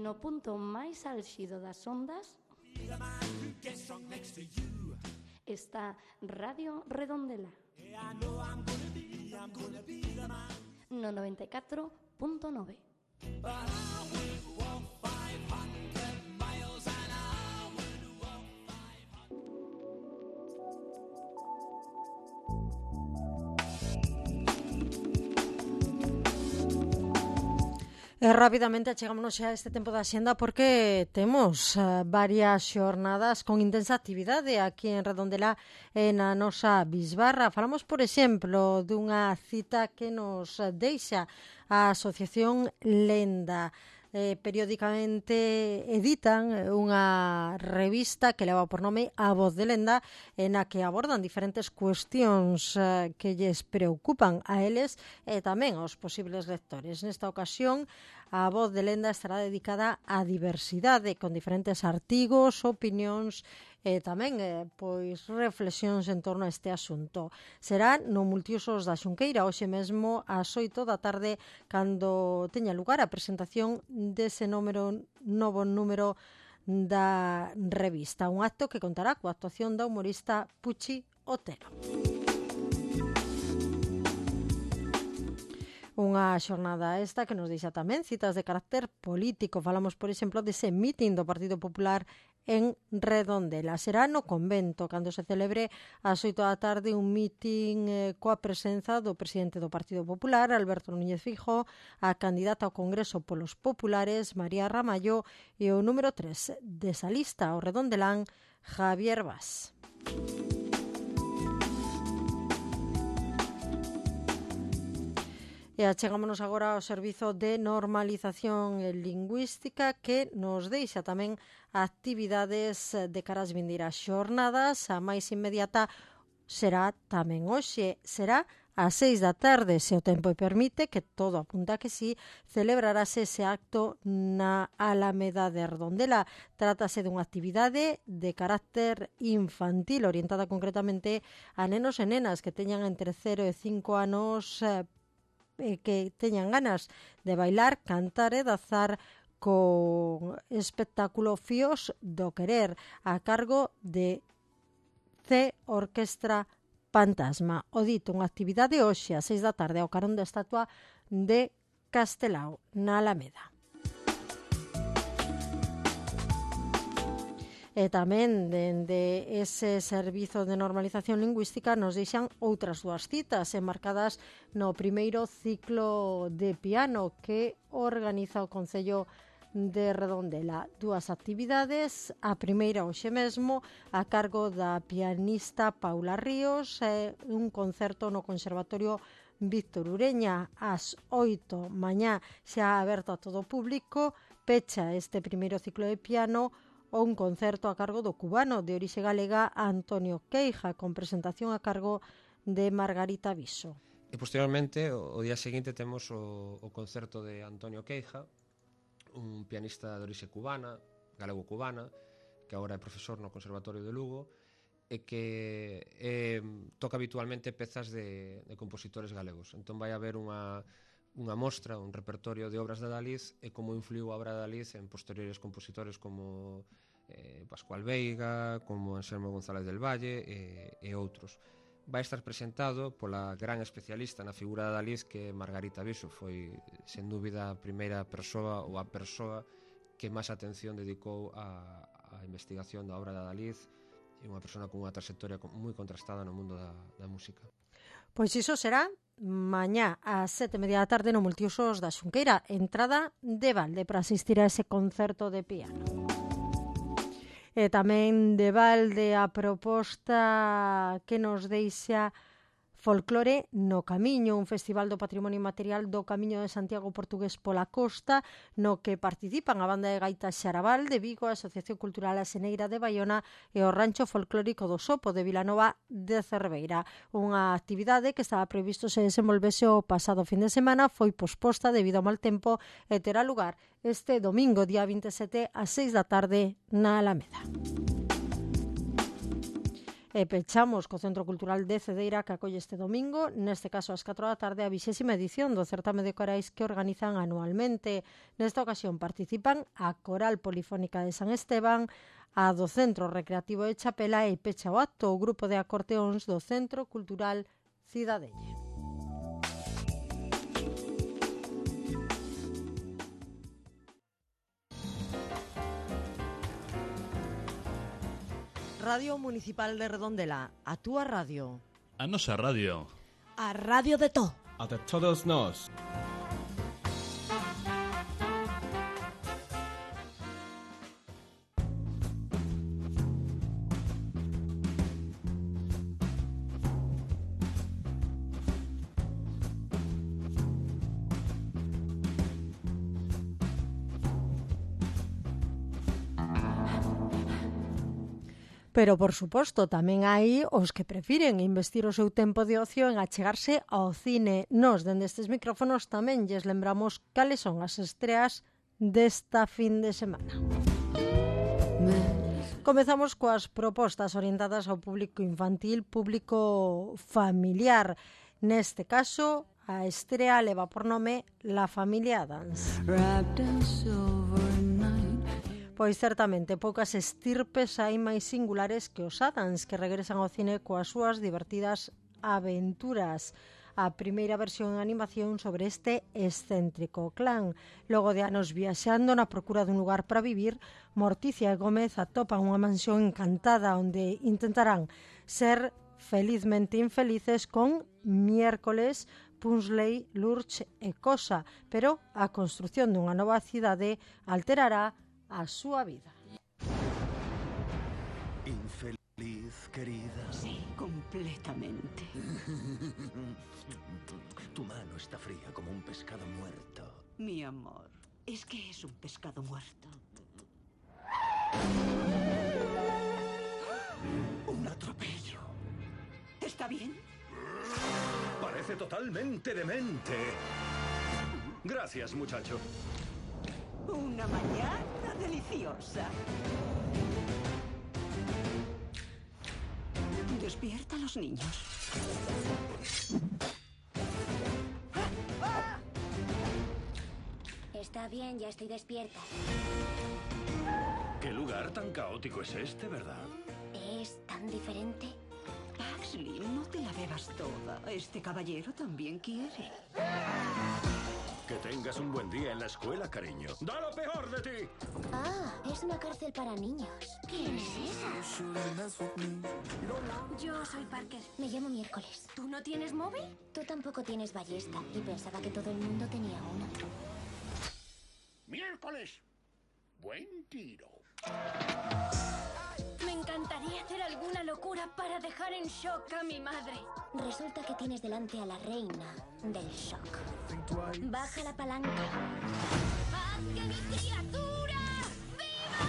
no punto máis álxido das ondas está Radio Redondela no 94.9. Rapidamente achegámonos xa a este tempo da xenda porque temos varias xornadas con intensa actividade aquí en Redondela e na nosa bisbarra. Falamos, por exemplo, dunha cita que nos deixa a Asociación Lenda. Periódicamente editan unha revista que leva por nome A Voz de Lenda, en a que abordan diferentes cuestións que lles preocupan a eles e tamén aos posibles lectores. Nesta ocasión, A Voz de Lenda estará dedicada á diversidade, con diferentes artigos, opinións e tamén pois reflexións en torno a este asunto. Será no Multiusos da Xunqueira, hoxe mesmo ás 8 da tarde, cando teña lugar a presentación dese novo número da revista. Un acto que contará coa actuación da humorista Puchi Otero. Unha xornada esta que nos deixa tamén citas de carácter político. Falamos, por exemplo, dese mitin do Partido Popular en Redondela. Será no convento, cando se celebre ás 8 da tarde un mitin coa presenza do presidente do Partido Popular, Alberto Núñez Feijóo, a candidata ao Congreso polos Populares, María Ramallo, e o número 3 desa lista, o redondelán, Javier Bas. E achegámonos agora ao Servizo de Normalización Lingüística, que nos deixa tamén actividades de cara ás vindeiras xornadas. A máis inmediata será tamén hoxe, será ás 6 da tarde, se o tempo permite, que todo apunta que sí, celebrarase ese acto na Alameda de Redondela. Trátase dunha actividade de carácter infantil, orientada concretamente a nenos e nenas que teñan entre 0 e 5 anos, que teñan ganas de bailar, cantar e danzar con espectáculo Fíos do Querer, a cargo de C Orquestra Fantasma. O dito, unha actividade hoxe a 6 da tarde ao carón da estatua de Castelao, na Alameda. E tamén, dende ese Servizo de Normalización Lingüística, nos deixan outras dúas citas enmarcadas no primeiro ciclo de piano que organiza o Concello de Redondela. Dúas actividades, a primeira hoxe mesmo, a cargo da pianista Paula Ríos, un concerto no Conservatorio Víctor Ureña ás 8 mañá, xa aberto a todo o público. Pecha este primeiro ciclo de piano o un concerto a cargo do cubano de orixe galega Antonio Queija, con presentación a cargo de Margarita Viso. E posteriormente, o día seguinte, temos o concerto de Antonio Queija, un pianista de orixe cubana, galego-cubana, que agora é profesor no Conservatorio de Lugo, e que toca habitualmente pezas de compositores galegos. Entón vai haber unha mostra, un repertorio de obras de Daliz e como influiu a obra de Daliz en posteriores compositores como Pascual Veiga, como Anselmo González del Valle e outros. Vai estar presentado pola gran especialista na figura de Daliz, que Margarita Viso. Foi, sen dúbida, a primeira persoa ou a persoa que máis atención dedicou á investigación da obra de Daliz, e unha persona con unha trayectoria moi contrastada no mundo da música. Pois iso será mañá ás 7:30 da tarde no Multiusos da Xunqueira, entrada de balde para asistir a ese concerto de piano. E tamén de balde a proposta que nos deixa Folclore no Camiño, un festival do patrimonio inmaterial do Camiño de Santiago portugués pola costa, no que participan a banda de gaitas Xarabal de Vigo, a Asociación Cultural Aseneira de Baiona e o Rancho Folclórico do Sopo de Vilanova de Cerveira. Unha actividade que estaba previsto se desenvolvese o pasado fin de semana, foi posposta debido ao mal tempo e terá lugar este domingo, día 27, ás 6 da tarde na Alameda. E pechamos co Centro Cultural de Cedeira que acolle este domingo, neste caso ás 4 da tarde, a 20ª edición do certame de corais que organizan anualmente. Nesta ocasión participan a Coral Polifónica de San Esteban, a do Centro Recreativo de Chapela e pecha o acto o grupo de acordeóns do Centro Cultural Cidadelle. Radio Municipal de Redondela, a túa radio. A nosa radio. A radio de to. A de todos nós. Pero, por suposto, tamén hai os que prefiren investir o seu tempo de ocio en achegarse ao cine. Nos, dende estes micrófonos, tamén lles lembramos cales son as estreas desta fin de semana. Comezamos coas propostas orientadas ao público infantil, público familiar. Neste caso, a estrea leva por nome La Familia Addams. Pois certamente poucas estirpes hai máis singulares que os Addams, que regresan ao cine coas súas divertidas aventuras. A primeira versión en animación sobre este excéntrico clan. Logo de anos viaxando na procura dun lugar para vivir, Morticia e Gómez atopan unha mansión encantada onde intentarán ser felizmente infelices con Miércoles, Punsley, Lurch e Cosa, pero a construción dunha nova cidade alterará a súa vida. Infeliz, querida. Sí, completamente. Tu mano está fría como un pescado muerto. Mi amor, es que es un pescado muerto. Un atropello. ¿Está bien? Parece totalmente demente. Gracias, muchacho. Una mañana deliciosa. Despierta a los niños. Está bien, ya estoy despierta. ¿Qué lugar tan caótico es este, verdad? ¿Es tan diferente? Pugsley, no te la bebas toda. Este caballero también quiere. Que tengas un buen día en la escuela, cariño. ¡Da lo peor de ti! Ah, es una cárcel para niños. ¿Quién es esa? Yo soy Parker. Me llamo Miércoles. ¿Tú no tienes móvil? Tú tampoco tienes ballesta. Y pensaba que todo el mundo tenía una. ¡Miércoles! Buen tiro. Me encantaría hacer alguna locura para dejar en shock a mi madre. Resulta que tienes delante a la reina del shock. Baja la palanca. ¡Haz que mi criatura viva!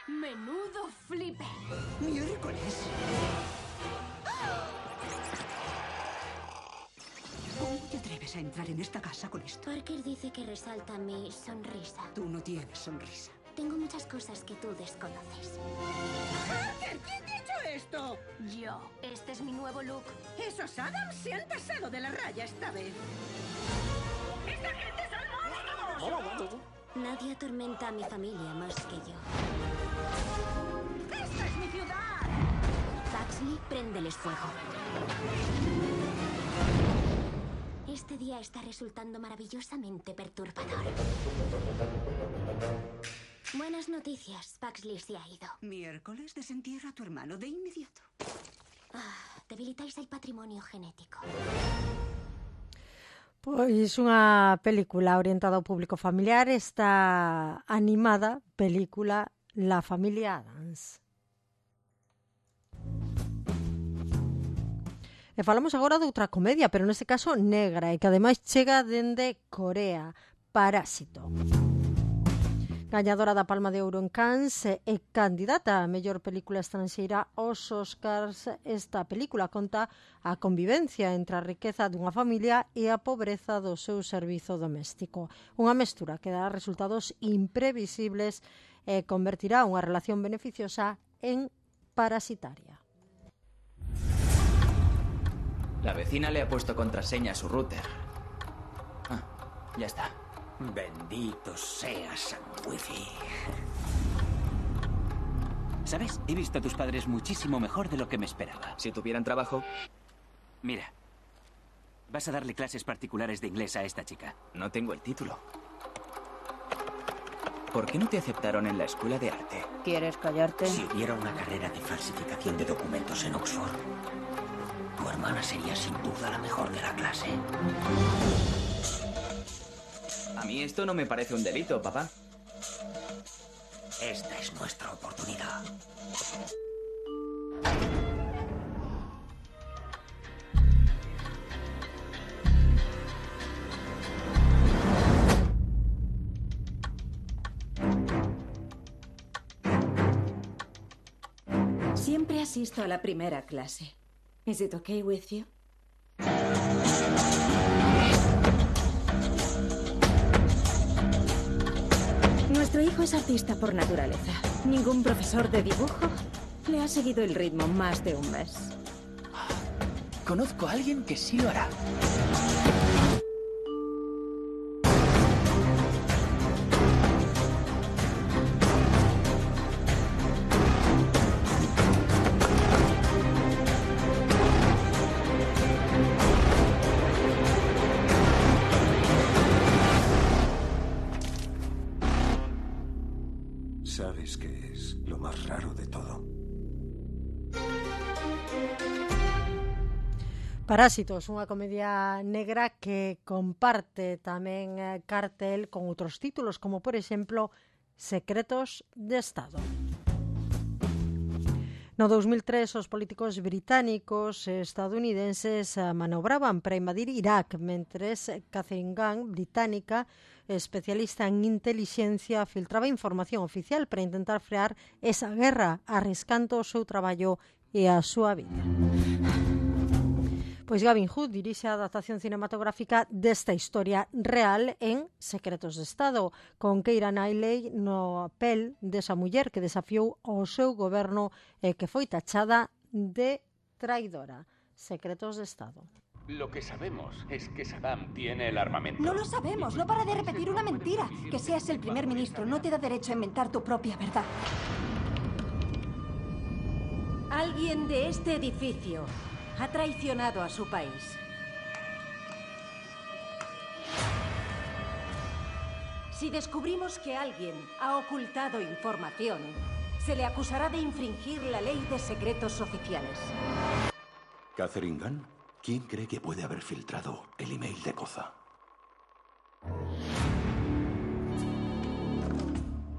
¡Menudo flipe! ¡Miércoles! ¿Cómo te atreves a entrar en esta casa con esto? Parker dice que resalta mi sonrisa. Tú no tienes sonrisa. Tengo muchas cosas que tú desconoces. ¡Parker! ¿Quién te ha hecho esto? Yo. Este es mi nuevo look. Esos Addams se han pasado de la raya esta vez. ¡Esta gente son monstruos! Nadie atormenta a mi familia más que yo. ¡Esta es mi ciudad! Pugsley, préndeles fuego. Este día está resultando maravillosamente perturbador. Buenas noticias, Pugsley se ha ido. Miércoles, desentierra a tu hermano de inmediato. Debilitáis el patrimonio genético. Pois unha película orientada ao público familiar, esta animada película La Familia Addams. E falamos agora de outra comedia, pero neste caso negra, e que ademais chega dende Corea, Parásito. gañadora da Palma de Ouro en Cannes e candidata a mellor película estranxeira aos Oscars. Esta película conta a convivencia entre a riqueza dunha familia e a pobreza do seu servizo doméstico. Unha mestura que dará resultados imprevisibles e convertirá unha relación beneficiosa en parasitaria. La vecina le ha puesto contraseña a su router. Ah, ya está. Bendito sea San Wifi. ¿Sabes? He visto a tus padres muchísimo mejor de lo que me esperaba. Si tuvieran trabajo... Mira, vas a darle clases particulares de inglés a esta chica. No tengo el título. ¿Por qué no te aceptaron en la escuela de arte? ¿Quieres callarte? Si hubiera una carrera de falsificación de documentos en Oxford, tu hermana sería sin duda la mejor de la clase. A mí esto no me parece un delito, papá. Esta es nuestra oportunidad. Siempre asisto a la primera clase. Is it okay with you? Nuestro hijo es artista por naturaleza. Ningún profesor de dibujo le ha seguido el ritmo más de un mes. Conozco a alguien que sí lo hará. ¿Sabes qué es lo más raro de todo? Parásitos, unha comedia negra que comparte tamén cartel con outros títulos, como por exemplo Secretos de Estado. No 2003, os políticos británicos e estadounidenses manobraban para invadir Irak, mentres Catherine Gunn, británica, especialista en intelixencia, filtraba información oficial para intentar frear esa guerra, arriscando o seu traballo e a súa vida. Pois Gavin Hood dirixe a adaptación cinematográfica desta historia real en Secretos de Estado, con Keira Knightley no papel desa muller que desafiou ao seu goberno e que foi tachada de traidora. Secretos de Estado. Lo que sabemos es que Saddam tiene el armamento. No lo sabemos, no para de repetir una mentira. Que seas el primer ministro no te da derecho a inventar tu propia verdad. Alguien de este edificio ha traicionado a su país. Si descubrimos que alguien ha ocultado información, se le acusará de infringir la ley de secretos oficiales. ¿Catherine Gunn? ¿Quién cree que puede haber filtrado el email de Koza?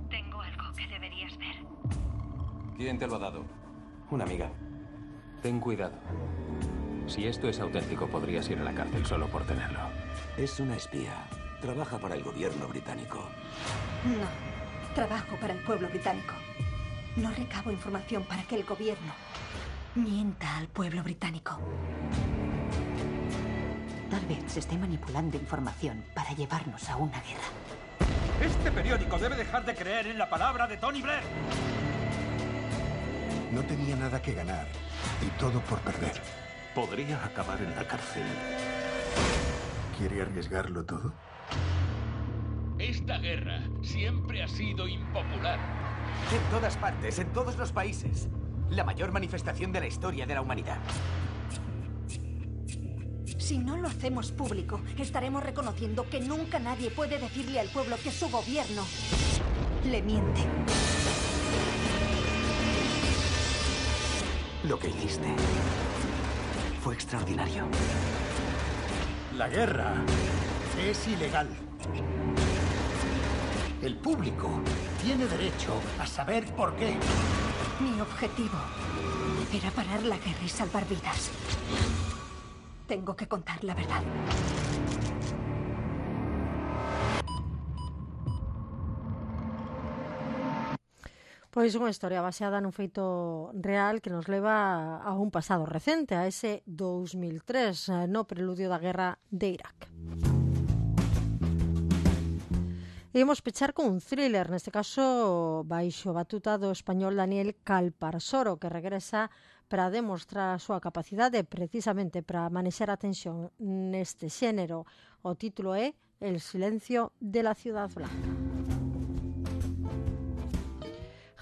Tengo algo que deberías ver. ¿Quién te lo ha dado? Una amiga. Ten cuidado. Si esto es auténtico, podrías ir a la cárcel solo por tenerlo. Es una espía. Trabaja para el gobierno británico. No, trabajo para el pueblo británico. No recabo información para que el gobierno mienta al pueblo británico. Tal vez se esté manipulando información para llevarnos a una guerra. Este periódico debe dejar de creer en la palabra de Tony Blair. No tenía nada que ganar y todo por perder. Podría acabar en la cárcel. ¿Quiere arriesgarlo todo? Esta guerra siempre ha sido impopular. En todas partes, en todos los países. La mayor manifestación de la historia de la humanidad. Si no lo hacemos público, estaremos reconociendo que nunca nadie puede decirle al pueblo que su gobierno le miente. Lo que hiciste fue extraordinario. La guerra es ilegal. El público tiene derecho a saber por qué. Mi objetivo era parar la guerra y salvar vidas. Tengo que contar la verdad. Pois unha historia baseada nun feito real que nos leva a un pasado recente, a ese 2003, no preludio da guerra de Irak. E imos pechar con un thriller, neste caso baixo batuta do español Daniel Calparsoro, que regresa para demostrar a súa capacidade precisamente para manexar a tensión neste xénero. O título é El silencio de la ciudad blanca.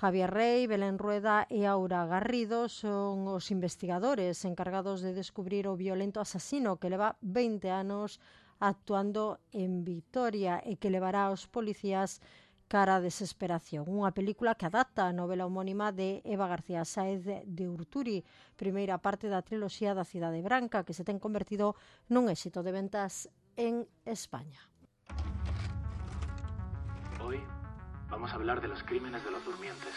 Javier Rey, Belén Rueda e Aura Garrido son os investigadores encargados de descubrir o violento asasino que leva 20 anos actuando en Vitoria e que levará aos policías cara a desesperación. Unha película que adapta a novela homónima de Eva García Sáez de Urturi, primeira parte da triloxía da Cidade Branca, que se ten convertido nun éxito de ventas en España. Hoy vamos a hablar de los crímenes de los durmientes.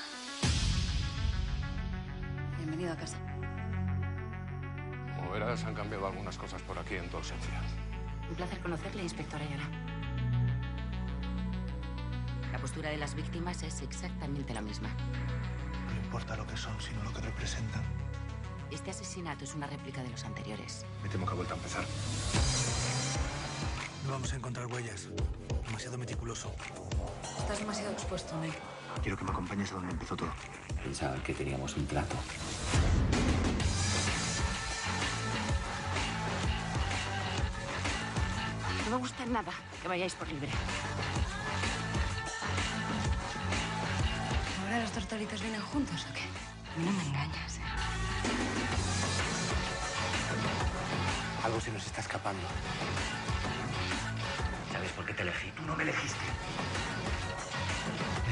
Bienvenido a casa. Como verás, han cambiado algunas cosas por aquí en tu ausencia. Un placer conocerle, inspector Ayala. La postura de las víctimas es exactamente la misma. No importa lo que son, sino lo que representan. Este asesinato es una réplica de los anteriores. Me temo que ha vuelto a empezar. No vamos a encontrar huellas. Demasiado meticuloso. Estás demasiado expuesto, Ney. Quiero que me acompañes a donde empezó todo. Pensaban que teníamos un trato. No me gusta nada que vayáis por libre. ¿Ahora los tortolitos vienen juntos o qué? A mí no me engañas, ¿eh? Algo se nos está escapando. ¿Sabes por qué te elegí? Tú no me elegiste.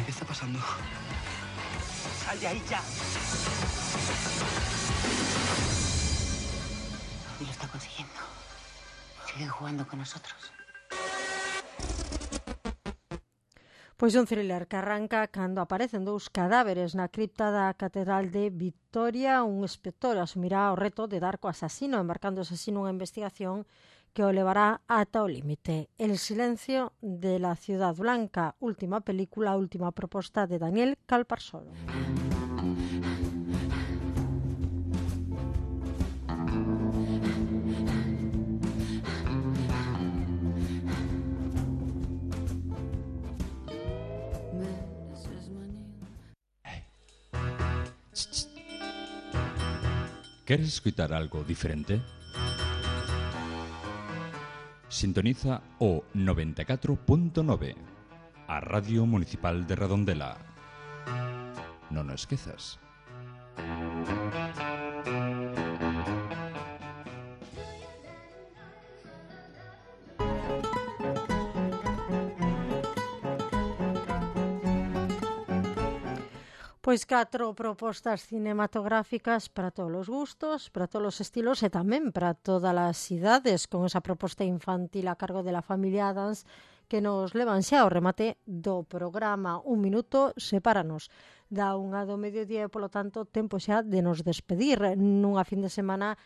¿Qué está pasando? ¡Sal de ahí ya! Y lo está consiguiendo. Siguen jugando con nosotros. Pois un thriller que arranca cando aparecen dous cadáveres na cripta da Catedral de Vitoria. Un inspector asumirá o reto de dar co asasino, embarcándose así nunha investigación que o levará ata o límite. El silencio de la ciudad blanca, última película, última proposta de Daniel Calparsoro. ¿Queres escutar algo diferente? Sintoniza o 94.9, a Radio Municipal de Redondela. Non o esquezas. Pois 4 propostas cinematográficas para todos os gustos, para todos os estilos e tamén para todas as idades, con esa proposta infantil a cargo de la familia Adams que nos levan xa ao remate do programa. Un minuto sepáranos da 1 do mediodía e, polo tanto, tempo xa de nos despedir nunha fin de semana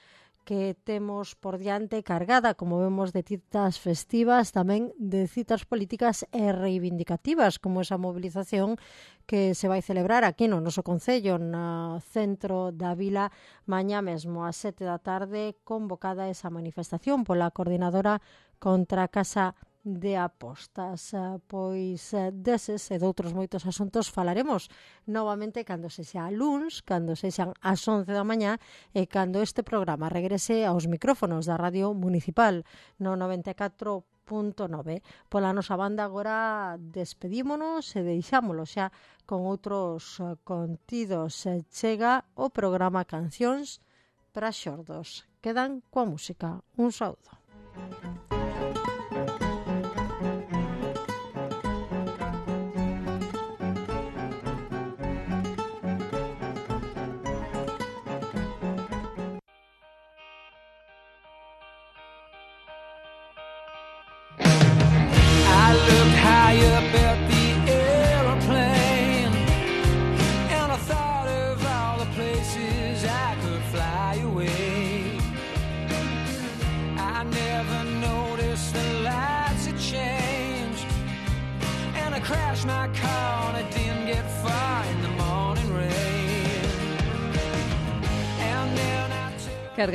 que temos por diante cargada, como vemos, de citas festivas, tamén de citas políticas e reivindicativas, como esa movilización que se vai celebrar aquí no noso concello, no centro da vila, mañá mesmo, ás 7 da tarde, convocada esa manifestación pola coordinadora contra a Casa de Apostas. Pois deses e doutros moitos asuntos falaremos novamente cando sexa luns, cando sexan as 11 da mañá e cando este programa regrese aos micrófonos da Radio Municipal no 94.9. Pola nosa banda agora despedímonos e deixámolo xa con outros contidos. Chega o programa Cancións para xordos. Quedan coa música. Un saúdo. High up at the airplane, and I thought of all the places I could fly away. I never noticed the lights had changed, and I crashed my car